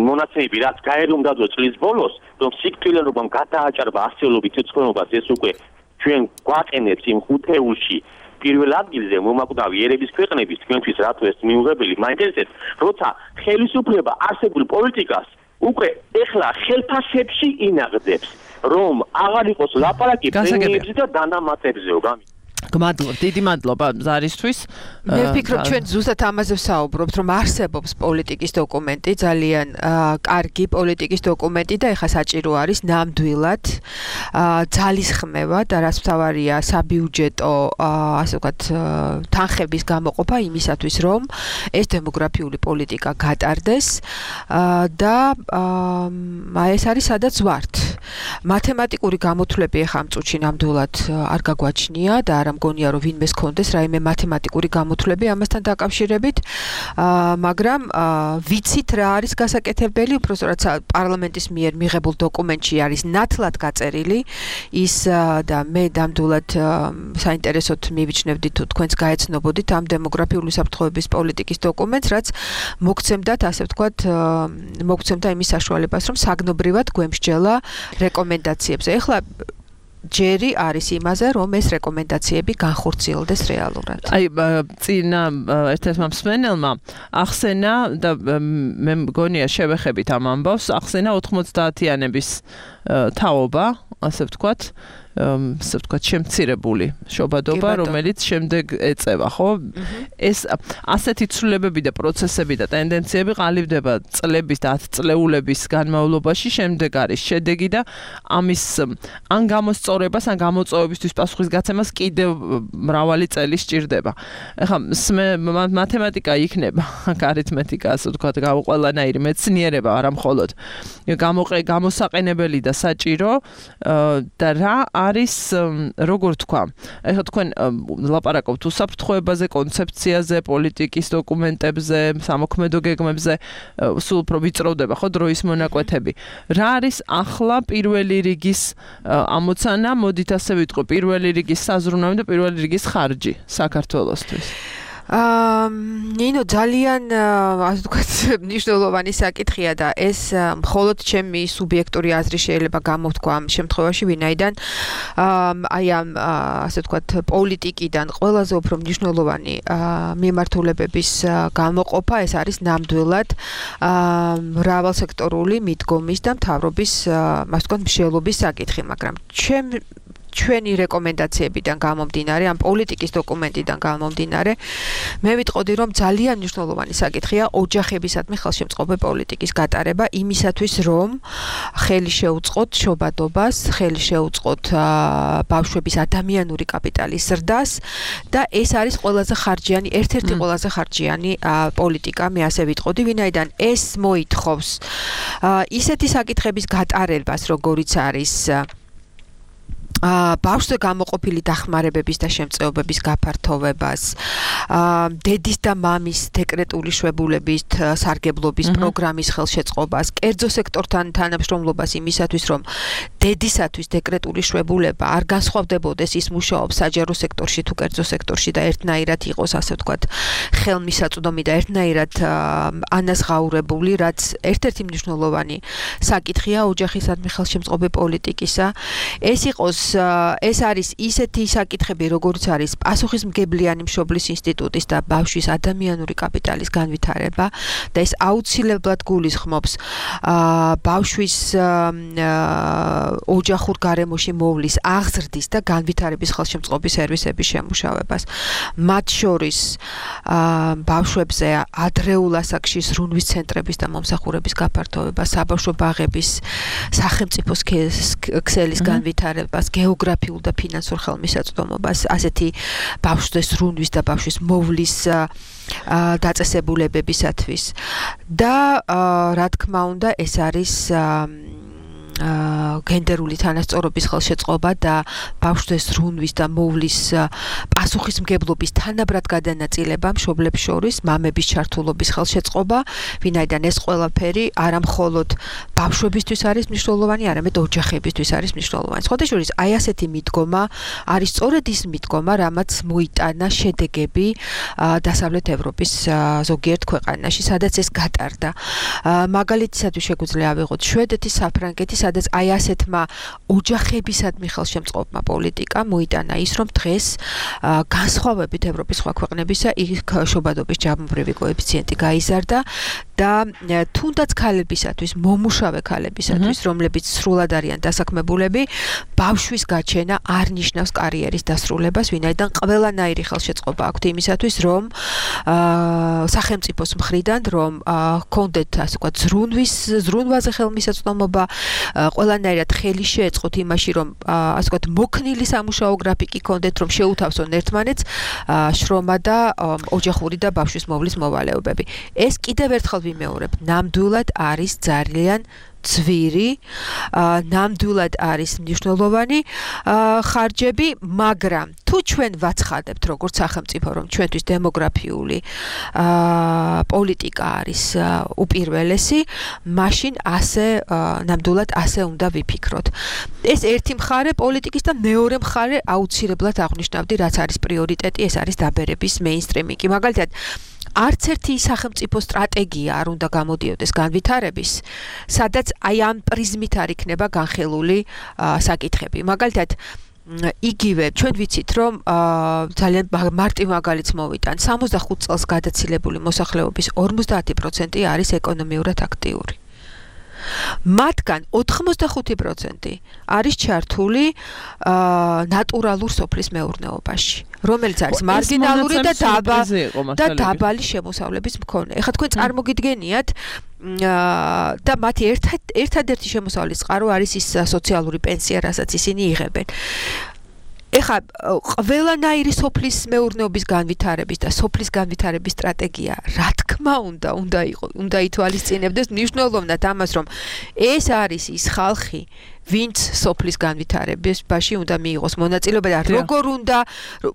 მონაცემები რაც გაერუნდაო წლის ბოლოს რომ სიკვდილიანობამ გადააჭარბა ასეულობით ცეცხლობას ეს უკვე ჩვენ გვაყენებს იმ ხუთეულში პირველ ადგილზე მომაკვდავი ერების ქვეყნების თქვენთვის რატო ეს მიუღებელი მაინტერესებს როცა ხელისუფლება არსებულ პოლიტიკას უკვე ეხლა ხელფასებში ინაღდებს რომ აღარ იყოს ლაპარაკი პრემიებზე და დანამატებზეო გმადლობ, დიდი მადლობა ზარისთვის. მე ვფიქრობ ჩვენ ზუსტად ამაზე ვსაუბრობთ, რომ არსებობს პოლიტიკის დოკუმენტი, ძალიან კარგი პოლიტიკის დოკუმენტი და ეხა საჭირო არის ნამდვილად ძალისხმევა და რაც მთავარია საბიუჯეტო, ასე ვთქვათ, თანხების გამოყოფა იმისათვის, რომ ეს დემოგრაფიული პოლიტიკა გატარდეს და ეს არის სადაც ვართ. მათემატიკური გამოთვლები ეხა ამ წუთში ნამდვილად არ გაგვაჩნია და არ მგონია რომ ვინმეს კონდეს რაიმე მათემატიკური გამოთვლები ამასთან დაკავშირებით, მაგრამ ვიცით რა არის გასაკეთებელი, უბრალოდ პარლამენტის მიერ მიღებულ დოკუმენტში არის ნათლად გაწერილი ის და მე ნამდვილად საინტერესოდ მივიჩნევდით თუ თქვენც გაეცნობოდით ამ დემოგრაფიული საფრთხეების პოლიტიკის დოკუმენტს, რაც მოგცემდათ, ასე ვთქვათ, მოგცემდა იმის საშუალებას, რომ საგნობრივად გვემსჯელა რეკომენდაციებზე. ეხლა ჯერი არის იმაზე, რომ ეს რეკომენდაციები განხორციელდეს რეალურად. აი, წინა ერთ-ერთმა მსმენელმა ახსენა და მე მგონია შევეხებით ამ ამბავს, ახსენა 90-იანების თაობა, ასე ვთქვათ, შემცირებული შობადობა, რომელიც შემდეგ ეწევა, ხო? ეს ასეთი ცვლილებები და პროცესები და ტენდენციები ყალიბდება წლების და 10 წლეულების განმავლობაში, შემდეგ არის შედეგი და ამის ან გამოსწორებას, ან გამოწვევებისთვის პასუხისგაცემას კიდევ მრავალი წელი სჭირდება. ეხლა მათემატიკა იქნება, არითმეტიკა, ასე ვთქვათ, ყველანაირი მეცნიერება, არა მხოლოდ გამოსაყენებელი და საჭირო და რა არის როგორ თქვა. ეხლა თქვენ ლაპარაკობთ უსაფრთხოებაზე, კონცეფციაზე, პოლიტიკის დოკუმენტებზე, სამოქმედო გეგმებზე, სულ უფრო ვიწროვდება ხო დროის მონაკვეთები. რა არის ახლა პირველი რიგის ამოცანა, მოდით ასე ვიტყვი, პირველი რიგის საზრუნავი და პირველი რიგის ხარჯი საქართველოსთვის. ნინო ძალიან ასე ვთქვათ მნიშვნელოვანი საკითხია და ეს მხოლოდ ჩემი სუბიექტური აზრი შეიძლება გამოვთქვა ამ შემთხვევაში, ვინაიდან აი ამ ასე ვთქვათ პოლიტიკიდან ყველაზე უფრო მნიშვნელოვანი მიმართულებების გამოყოფა ეს არის ნამდვილად მრავალსექტორული მიდგომის და მთავრობის ასე ვთქვათ მსჯელობის საკითხი, მაგრამ ჩვენი რეკომენდაციებიდან გამომდინარე, ამ პოლიტიკის დოკუმენტიდან გამომდინარე, მე ვიტყოდი, რომ ძალიან მნიშვნელოვანი საკითხია ოჯახებისადმი ხელშემწყობი პოლიტიკის გატარება იმისათვის, რომ ხელი შეუწყოთ შობადობას, ხელი შეუწყოთ ბავშვების ადამიანური კაპიტალის ზრდას და ეს არის ყველაზე ხარჯიანი, ერთ-ერთი ყველაზე ხარჯიანი პოლიტიკა, მე ასე ვიტყოდი, ვინაიდან ეს მოითხოვს ისეთი საკითხების გატარებას, როგორიც არის ბავშვზე გამოყოფილი დახმარებების და შემწეობების გაფართოვებას, დედის და მამის დეკრეტული შვებულების სარგებლობის პროგრამის ხელშეწყობას, კერძო სექტორთან თანამშრომლობას იმისათვის, რომ დედისათვის დეკრეტული შვებულება არ განსხვავდებოდეს ის მუშაობს საჯარო სექტორში თუ კერძო სექტორში და ერთნაირად იყოს, ასე ვთქვათ, ხელმისაწვდომი და ერთნაირად ანაზღაურებული, რაც ერთ-ერთი მნიშვნელოვანი საკითხია ოჯახისადმი ხელშემწყობი პოლიტიკისა. ეს არის ისეთი საკითხები, როგორც არის პასუხისმგებლიანი მშობლის ინსტიტუტის და ბავშვის ადამიანური კაპიტალის განვითარება და ეს აუცილებლად გულისხმობს ბავშვის ოჯახურ გარემოში მოვლის აღზრდის და განვითარების ხელშემწყობი სერვისების შემუშავებას. მათ შორის ბავშვებზე ადრეულ ასაკში ზრუნვის ცენტრების და მომსახურების გაფართოვება, საბავშვო ბაღების სახელმწიფოს ქსელის განვითარებას, გეოგრაფიულ და ფინანსურ ხელმისაწვდომობას, ასეთი ბავშვზე ზრუნვის და ბავშვის მოვლის დაწესებულებებისათვის. და რა თქმა უნდა, ეს არის გენდერული თანასწორობის ხელშეწყობა და ბავშვთა ზრუნვის და მოვლის პასუხისმგებლობის თანაბრად გადანაწილება მშობლებს შორის, მამების ჩართულობის ხელშეწყობა, ვინაიდან ეს ყველაფერი არა მხოლოდ ბავშვებისთვის არის მნიშვნელოვანი, არამედ ოჯახებისთვის არის მნიშვნელოვანი. სხვადასხვა აი ასეთი მიდგომა არის სწორედ ის მიდგომა, რამაც მოიტანა შედეგები დასავლეთ ევროპის ზოგიერთ ქვეყანაში, სადაც ეს გატარდა. მაგალითისათვის შეგვიძლია ავიღოთ შვედეთის, საფრანგეთის, სადაც აი ასეთმა ოჯახებისადმი ხელშემწყობმა პოლიტიკა მოიტანა ის, რომ დღეს განსხვავებით ევროპის სხვა ქვეყნებისა, იქ შობადობის ჯამობრივი კოეფიციენტი გაიზარდა და თუნდაც ქალებისათვის, მომუშავე ქალებისათვის, რომლებიც სრულად არიან დასაქმებულები, ბავშვის გაჩენა არ ნიშნავს კარიერის დასრულებას, ვინაიდან ყველანაირი ხელშეწყობა აქვთ იმისათვის, რომ სახელმწიფოს მხრიდან, რომ ჰქონდეთ ასე ვთქვათ ზრუნვაზე ხელმისაწვდომობა, ყველანაირად ხელი შეეწყოთ იმაში, რომ ასე ვთქვათ მოქნილი სამუშაო გრაფიკი ჰქონდეთ, რომ შეუთავსონ ერთმანეთს შრომა და ოჯახური და ბავშვის მოვლის მოვალეობები. ეს კიდევ ერთხელ ვიმეორებ, ნამდვილად არის ძალიან ძვირი, ნამდვილად არის მნიშვნელოვანი ხარჯები, მაგრამ თუ ჩვენ ვაცხადებთ როგორც სახელმწიფო, რომ ჩვენთვის დემოგრაფიული პოლიტიკა არის უპირველესი, მაშინ ასე ნამდვილად ასე უნდა ვიფიქროთ. ეს ერთი მხარე პოლიტიკის და მეორე მხარე აუცილებლად აღნიშნავდი, რაც არის პრიორიტეტი, ეს არის დაბერების მეინსტრიმინგი. მაგალითად, არც ერთი სახელმწიფო სტრატეგია არ უნდა გამოდიოდეს განვითარების, სადაც აი ამ პრიზმით არ იქნება განხილული საკითხები. მაგალითად, იგივე ჩვენ ვიცით, რომ ძალიან მარტივ მაგალითს მოვიტან, 65 წელს გადაცილებული მოსახლეობის 50% არის ეკონომიურად აქტიური. მათგან 85% არის ჩართული ნატურალურ სოფლის მეურნეობაში, რომელიც არის მარგინალური და დაბალი შემოსავლების მქონე. ეხლა თქვენ წარმოგიდგენიათ და მათი ერთადერთი შემოსავლის წყარო არის ის სოციალური პენსია, რასაც ისინი იღებენ. ეხლა ყველანაირი სოფლის მეურნეობის განვითარების და სოფლის განვითარების სტრატეგია, რა თქმა უნდა ითვალისწინებდეს მნიშვნელოვნად ამას, რომ ეს არის ის ხალხი, ვინც სოფლის განვითარებაში უნდა მიიღოს მონაწილეობა და როგორ უნდა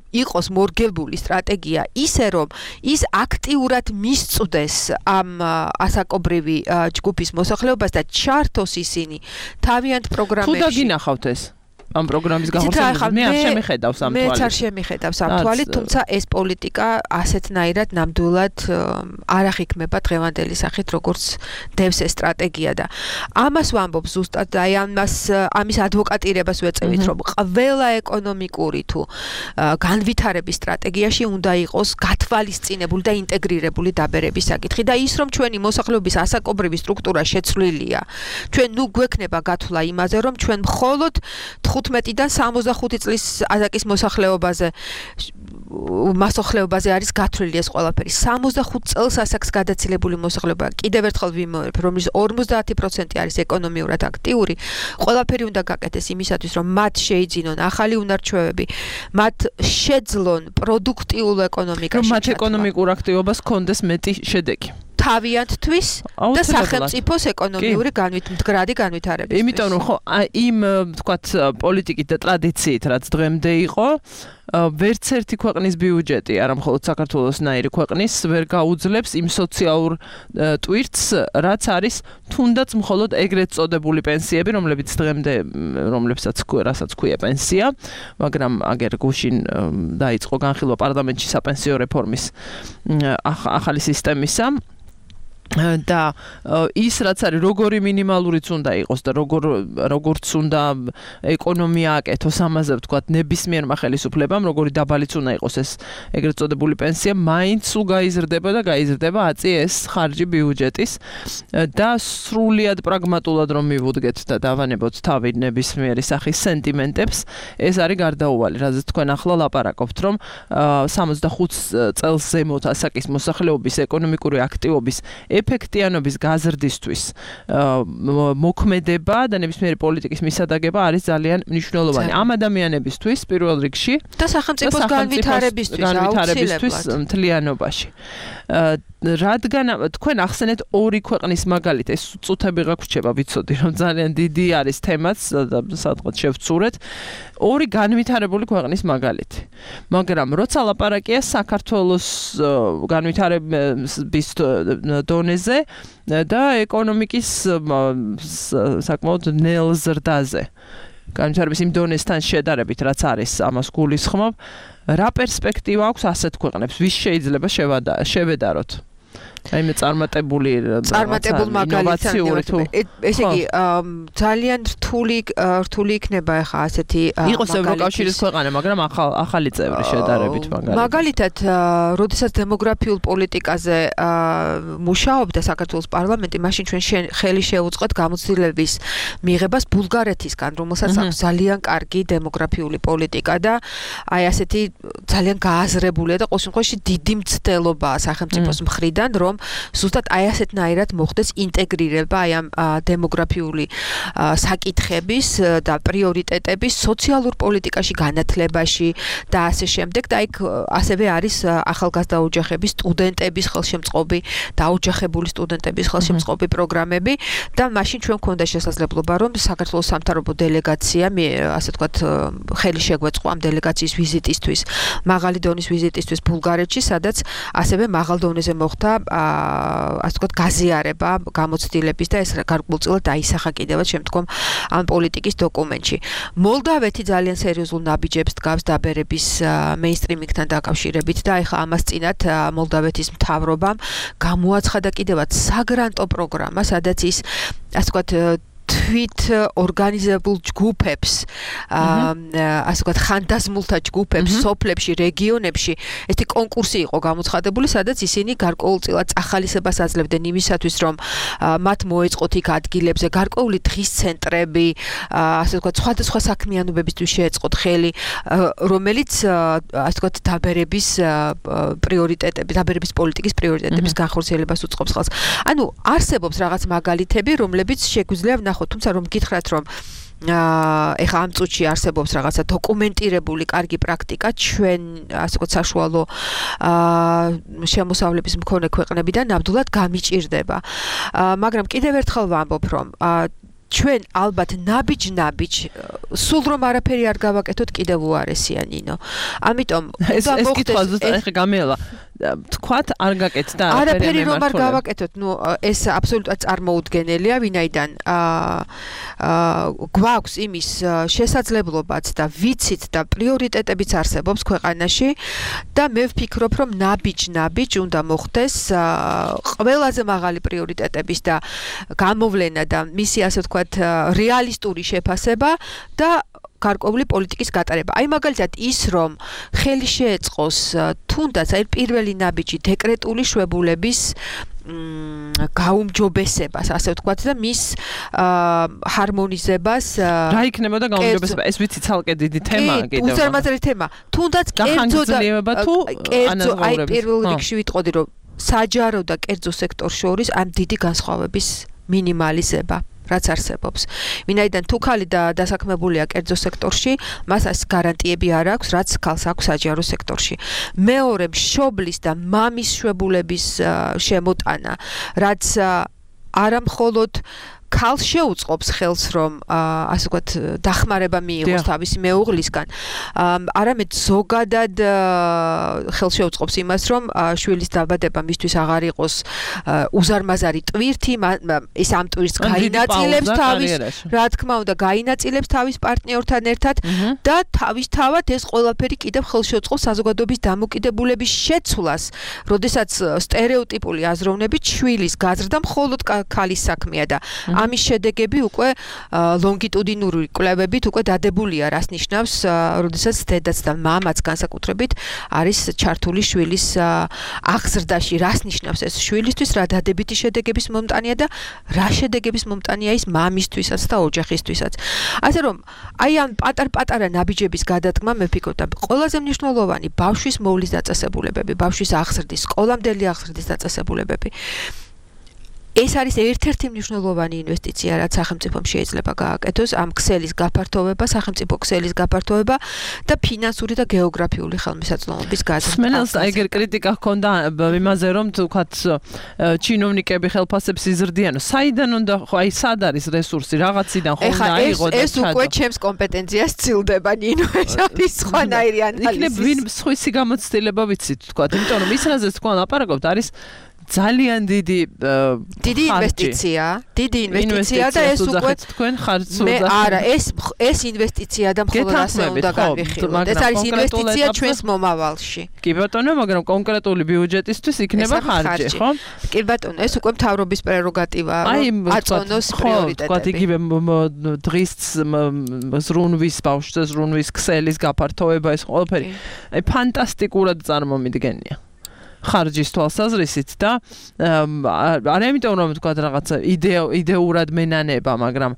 იყოს მორგებული სტრატეგია ისე, რომ ის აქტიურად მისწვდეს ამ ასაკობრივი ჯგუფის მოსახლეობას და ჩართოს ისინი თავიანთ პროგრამებში. თუ დაგინახავთ ეს ამ პროგრამის გამოსვლას მე არ შემიხედავს ამ თვალით. მეც არ შემიხედავს ამ თვალით, თუმცა ეს პოლიტიკა ასეთნაირად ნამდვილად არ აღიქმება დღევანდელი სახით, როგორც დევს ეს სტრატეგია და ამას ვამბობ ზუსტად და აი ამის ადვოკატირებას ვეწევით, რომ ყველა ეკონომიკური თუ განვითარების სტრატეგიაში უნდა იყოს გათვალისწინებული და ინტეგრირებული დაბერების საკითხი და ის, რომ ჩვენი მოსახლეობის ასაკობრივი სტრუქტურა შეცვლილია, ჩვენ ნუ გვექნება გათვლა იმაზე, რომ ჩვენ მხოლოდ 15-დან 65 წლის ასაკის მოსახლეობაზე არის გათვლილი ეს ყველაფერი. 65 წელს ასაკს გადაცილებული მოსახლეობა, კიდევ ერთხელ ვიმეორებ, რომლის 50% არის ეკონომიურად აქტიური, ყველაფერი უნდა გაკეთდეს იმისათვის, რომ მათ შეიძინონ ახალი უნარჩვევები, მათ შეძლონ პროდუქტიულ ეკონომიკაში. რომ მათ ეკონომიკურ აქტივობას ჰქონდეს მეტი შედეგი. თავიანთთვის და სახელმწიფოს ეკონომიური მდგრადი განვითარებისთვის. იმიტომ რომ ხო იმ თქვათ პოლიტიკით და ტრადიციით, რაც დღემდე იყო, ვერც ერთი ქვეყნის ბიუჯეტი, არა მხოლოდ საქართველოსნაირი ქვეყნის, ვერ გაუძლებს იმ სოციალურ ტვირთს, რაც არის თუნდაც მხოლოდ ეგრეთ წოდებული პენსიები, რომლებსაც ქვია პენსია, მაგრამ აგერ გუშინ დაიწყო განხილვა პარლამენტში საპენსიო რეფორმის ახალი სისტემისა. და ის რაც არის როგორი მინიმალურიც უნდა იყოს და როგორც უნდა ეკონომია აკეთოს ამაზე ვთქვათ ნებისმიერმა ხელისუფლებამ როგორი დაბალიც უნდა იყოს ეს ეგრეთ წოდებული პენსია მაინც სულ გაიზრდება აწი ეს ხარჯი ბიუჯეტის და სრულიად პრაგმატულად რომ მივუდგეთ და დავანებოთ თავი ნებისმიერი სახის სენტიმენტებს ეს არის გარდაუვალი რაზეც თქვენ ახლა ლაპარაკობთ რომ 65 წელს ზემოთ ასაკის მოსახლეობის ეკონომიკური აქტივობის ეფექტიანობის გაზრდისთვის მოქმედება და ნებისმიერი პოლიტიკის მისადაგება არის ძალიან მნიშვნელოვანი ამ ადამიანებისთვის პირველ რიგში და სახელმწიფოს განვითარებისთვის მთლიანობაში რადგან თქვენ ახსენეთ ორი ქვეყნის მაგალითი, ეს წუთები გაგვრჩება, ვიცოდი რომ ძალიან დიდი არის თემაც და სადღაც შევცურეთ. ორი განვითარებული ქვეყნის მაგალითი. მაგრამ როცა ლაპარაკია საქართველოს განვითარების დონეზე და ეკონომიკის საკმაოდ ნელ ზრდაზე. განვითარების იმ დონესთან შედარებით, რაც არის, ამას გულისხმობ, რა პერსპექტივა აქვს ასეთ ქვეყნებს? ვის შეიძლება შევედაროთ? აი მე წარმატებული ინოვაციური თუ ესე იგი ძალიან რთული იქნება ახლა ასეთი იყოს ევროკავშირის ქვეყანა, მაგრამ ახალი წევრი შედარებით მაგალითად, როდესაც დემოგრაფიულ პოლიტიკაზე მუშაობდა საქართველოს პარლამენტი, მაშინ ჩვენ ხელი შეუწყეთ გამოცდილების მიღებას ბულგარეთისგან, რომელსაც აქვს ძალიან კარგი დემოგრაფიული პოლიტიკა და აი ასეთი ძალიან გააზრებულია და ყოველ შემთხვევაში დიდი მცდელობაა სახელმწიფოს მხრიდან, რომ ზუსტად აი ასეთნაირად მოხდეს ინტეგრირება აი ამ დემოგრაფიული საკითხების და პრიორიტეტების სოციალურ პოლიტიკაში, განათლებაში და ასე შემდეგ და იქ ასევე არის ახალგაზრდა ოჯახების სტუდენტების ხელშემწყობი, დაოჯახებული სტუდენტების ხელშემწყობი პროგრამები და მაშინ ჩვენ გვქონდა შესაძლებლობა რომ საქართველოს სამთავრობო დელეგაცია ასე ვთქვათ ხელი შეგვეწყო ამ დელეგაციის ვიზიტისთვის, მაღალი დონის ვიზიტისთვის ბულგარეთში, სადაც ასევე მაღალ დონეზე მოხდა ასე ვთქვათ გაზიარება გამოცდილების და ეს გარკვეულწილად დაისახა კიდევაც შემდგომ ამ პოლიტიკის დოკუმენტში. მოლდავეთი ძალიან სერიოზულ ნაბიჯებს დგავს დაბერების მეინსტრიმინგთან დაკავშირებით და ეხლა ამას წინათ მოლდავეთის მთავრობამ გამოაცხადა კიდევაც საგრანტო პროგრამა, სადაც ის ასე ვთქვათ თვით ორგანიზებულ ჯგუფებს, ასე ვთქვათ, ხანდაზმულთა ჯგუფებს, სოფლებში, რეგიონებში, ესეთი კონკურსი იყო გამოცხადებული, სადაც ისინი გარკვეულწილად წახალისებას აძლევდნენ იმისათვის, რომ მათ მოეწყოთ იქ ადგილებზე გარკვეული დღის ცენტრები, ასე ვთქვათ, სხვადასხვა საქმიანობებისთვის შეეწყოთ ხელი, რომელიც ასე ვთქვათ, დაბერების პრიორიტეტები, დაბერების პოლიტიკის პრიორიტეტების განხორციელებას უწყობს ხელს. ანუ არსებობს რაღაც მაგალითები, რომლებიც შეგვიძლია ვნახოთ, თუმცა რომ გითხრათ, რომ ეხლა ამ წუთში არსებობს რაღაცა დოკუმენტირებული კარგი პრაქტიკა ჩვენ ასე ვთქვათ საშუალო შემოსავლების მქონე ქვეყნებიდან ნამდვილად გამიჭირდება. მაგრამ კიდევ ერთხელ ვამბობ, რომ ჩვენ ალბათ ნაბიჯ სულ რომ არაფერი არ გავაკეთოთ კიდევ უარესია ნინო. ამიტომ ეს კითხვა ზუსტად ეხლა გამელა. თქვათ არ გაკეთდა არაფერი რომ არ გავაკეთოთ, ნუ ეს აბსოლუტურად წარმოუდგენელია, ვინაიდან გვაქვს იმის შესაძლებლობაც და ვიცით და პრიორიტეტებიც არსებობს ქვეყანაში და მე ვფიქრობ, რომ ნაბიჯ უნდა მოხდეს ყველაზე მაღალი პრიორიტეტების და გამოვლენა და მისი ასე ვთქვათ რეალისტური შეფასება და გარკვეული პოლიტიკის გატარება. აი მაგალითად ის რომ ხელი შეეწყოს თუნდაც აი პირველი ნაბიჯი დეკრეტული შვებულების გაუმჯობესებას, ასე ვთქვათ და მის ჰარმონიზებას რა იქნებოდა გაუმჯობესება? ეს ვიცი ცალკე დიდი თემაა კიდევ. უზარმაზარი თემა. თუნდაც კერძო აი პირველ რიგში ვიტყოდი რომ საჯარო და კერძო სექტორს შორის ამ დიდი განსხვავების მინიმალიზება რაც არსებობს. ვინაიდან თუ ხალი დასაქმებულია კერძო სექტორში, მას ეს გარანტიები არ აქვს, რაც ხალს აქვს საჯარო სექტორში. მეორე მშობლის და მამის შვებულების შემოტანა, რაც არა მხოლოდ ქალს შეუწყობს ხელს რომ ასე ვთქვათ დახმარება მიიღოს თავისი მეუღლისგან, არამედ ზოგადად ხელს შეუწყობს იმას, რომ შვილის დაბადება მისთვის აღარ იყოს უზარმაზარი ტვირთი, ის ამ ტვირთს გაინაწილებს თავის, რა თქმა უნდა, გაინაწილებს თავის პარტნიორთან ერთად და თავისთავად ეს ყველაფერი კიდევ ხელს შეუწყობს საზოგადოების დამოკიდებულების შეცვლას, როდესაც სტერეოტიპული აზროვნებით შვილის გაზრდა მხოლოდ ქალის საქმეა და ამის შედეგები უკვე ლონგიტუდინური კვლევებით უკვე დადებულია, რას ნიშნავს, როდესაც დედაც და მამაც განსაკუთრებით არის ჩართული შვილის აღზრდაში, რას ნიშნავს ეს შვილისთვის, რა დადებითი შედეგების მომტანია და რა შედეგების მომტანია ის მამისთვისაც და ოჯახისთვისაც. ასე რომ, აი ამ პატარ-პატარა ნაბიჯების გადადგმა მე ვფიქრობ და ყველაზე მნიშვნელოვანი ბავშვის მოვლის დაწესებულებები, ბავშვის აღზრდის, სკოლამდელი აღზრდის დაწესებულებები. ეს არის ერთ-ერთი მნიშვნელოვანი ინვესტიცია, რაც სახელმწიფომ შეიძლება გააკეთოს, ამ ქსელის გაფართოვება, სახელმწიფო ქსელის გაფართოვება და ფინანსური და გეოგრაფიული ხელმისაწვდომობის გაზრდა. სმენელს ეგერ კრიტიკა ჰქონდა იმაზე, რომ თქვათ ჩინოვნიკები ხელფასებს იზრდიან. საიდან უნდა ხო აი სად არის რესურსი რაღაციდან ხო უნდა აიღო და ეს უკვე ჩემს კომპეტენციას ცილდება ნინო, ეს არის სხვანაირი ანალიზი. იქნებ ვინ სხვისი გამოცდილება ვიცით თქვათ, იმიტომ რომ ის რაზეც თქვენ ლაპარაკობთ არის ძალიან დიდი ინვესტიცია და ეს უკვე თქვენ ხარჯს არა, ეს ინვესტიცია და მხოლოდ ასე უნდა განვიხილოთ. ეს არის ინვესტიცია ჩვენს მომავალში. კი ბატონო, მაგრამ კონკრეტული ბიუჯეტისთვის იქნება ხარჯი, ხო? კი ბატონო, ეს უკვე მთავრობის პრეროგატივაა, აწონოს პრიორიტეტები. თქვათ იგივე დღის ზრუნვის ბავშვზე ზრუნვის ქსელის გაფართოვება ეს ყველაფერი აი ფანტასტიკურად წარმომიდგენია. ხარჯის თვალსაზრისით და არა იმიტომ რომ თქვა რაღაცა იდეურად მენანება, მაგრამ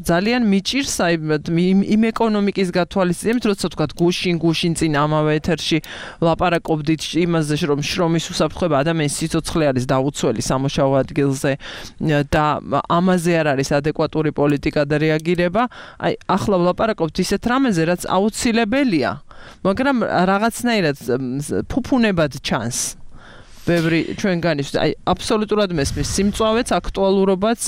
ძალიან მიჭირს აი იმ ეკონომიკის გათვალისწინებით, როცა თქვა გუშინ წინ ამავე ეთერში ლაპარაკობდით იმაზე, რომ შრომის უსაფრთხოება ადამიანის სიცოცხლე არის დაუცველი სამუშაო ადგილზე და ამაზე არ არის ადეკვატური პოლიტიკა და რეაგირება. აი ახლა ვლაპარაკობთ ისეთ რამეზე, რაც აუცილებელია. მაგრამ რაღაცნაირად ფუფუნებად ჩანს. ბევრი ჩვენგანისთვის აი აბსოლუტურად მესმის სიმწვავეც, აქტუალურობაც,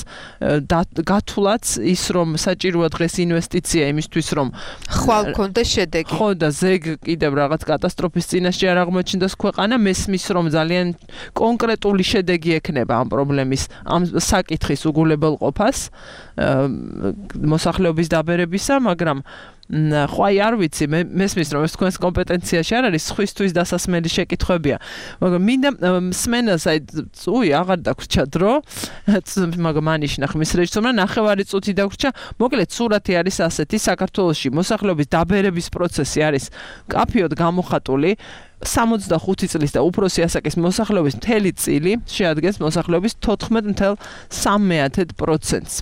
გათვლაც ის რომ საჭიროა დღეს ინვესტიცია იმისთვის რომ ხვალ კონდეს შედეგი. ხო და ზეგ კიდევ რაღაც კატასტროფის წინაშე არ აღმოჩნდეს ქვეყანა, მესმის რომ ძალიან კონკრეტული შედეგი ექნება ამ პრობლემის, ამ საკითხის უგულებელყოფას, მოსახლეობის დაბერებისა, მაგრამ ხო აი არ ვიცი მესმის რომ ეს თქვენს კომპეტენციაში არ არის სხვისთვის დასასმელი შეკითხვებია მაგრამ მინდა სმენელს აი აღარ დაგვრჩა დრო მაგრამ ანიშნა ხმის რეჟისორმა ნახევარი წუთი დაგვრჩა მოკლედ სურათი არის ასეთი საქართველოში მოსახლეობის დაბერების პროცესი არის კაფიოდ გამოხატული 65 წლის და უფროსი ასაკის მოსახლეობის მთელი წილი შეადგენს მოსახლეობის 14.3%-ს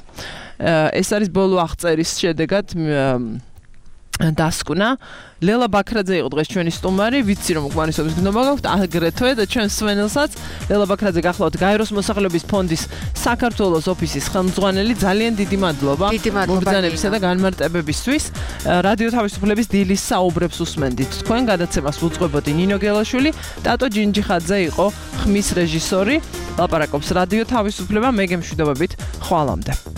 ეს არის ბოლო აღწერის შედეგად დასკვნა ლელა ბაქრაძე იყო დღეს ჩვენი სტუმარი ვიცი რომ გვანისობის გნობა გაქვთ აგრეთვე და ჩვენ სვენელსაც ლელა ბაქრაძე გახლავთ გაეროს მოსახლეობის ფონდის საქართველოს ოფისის ხელმძღვანელი ძალიან დიდი მადლობა მობრძანებისა და განმარტებებისთვის რადიო თავისუფლების დილის საუბრებს უსმენდით თქვენ გადაცემას უძღვებოდი ნინო გელაშვილი ტატო ჯინჯიხაძე იყო ხმის რეჟისორი ლაპარაკობს რადიო თავისუფლება მე გემშვიდობებით ხვალამდე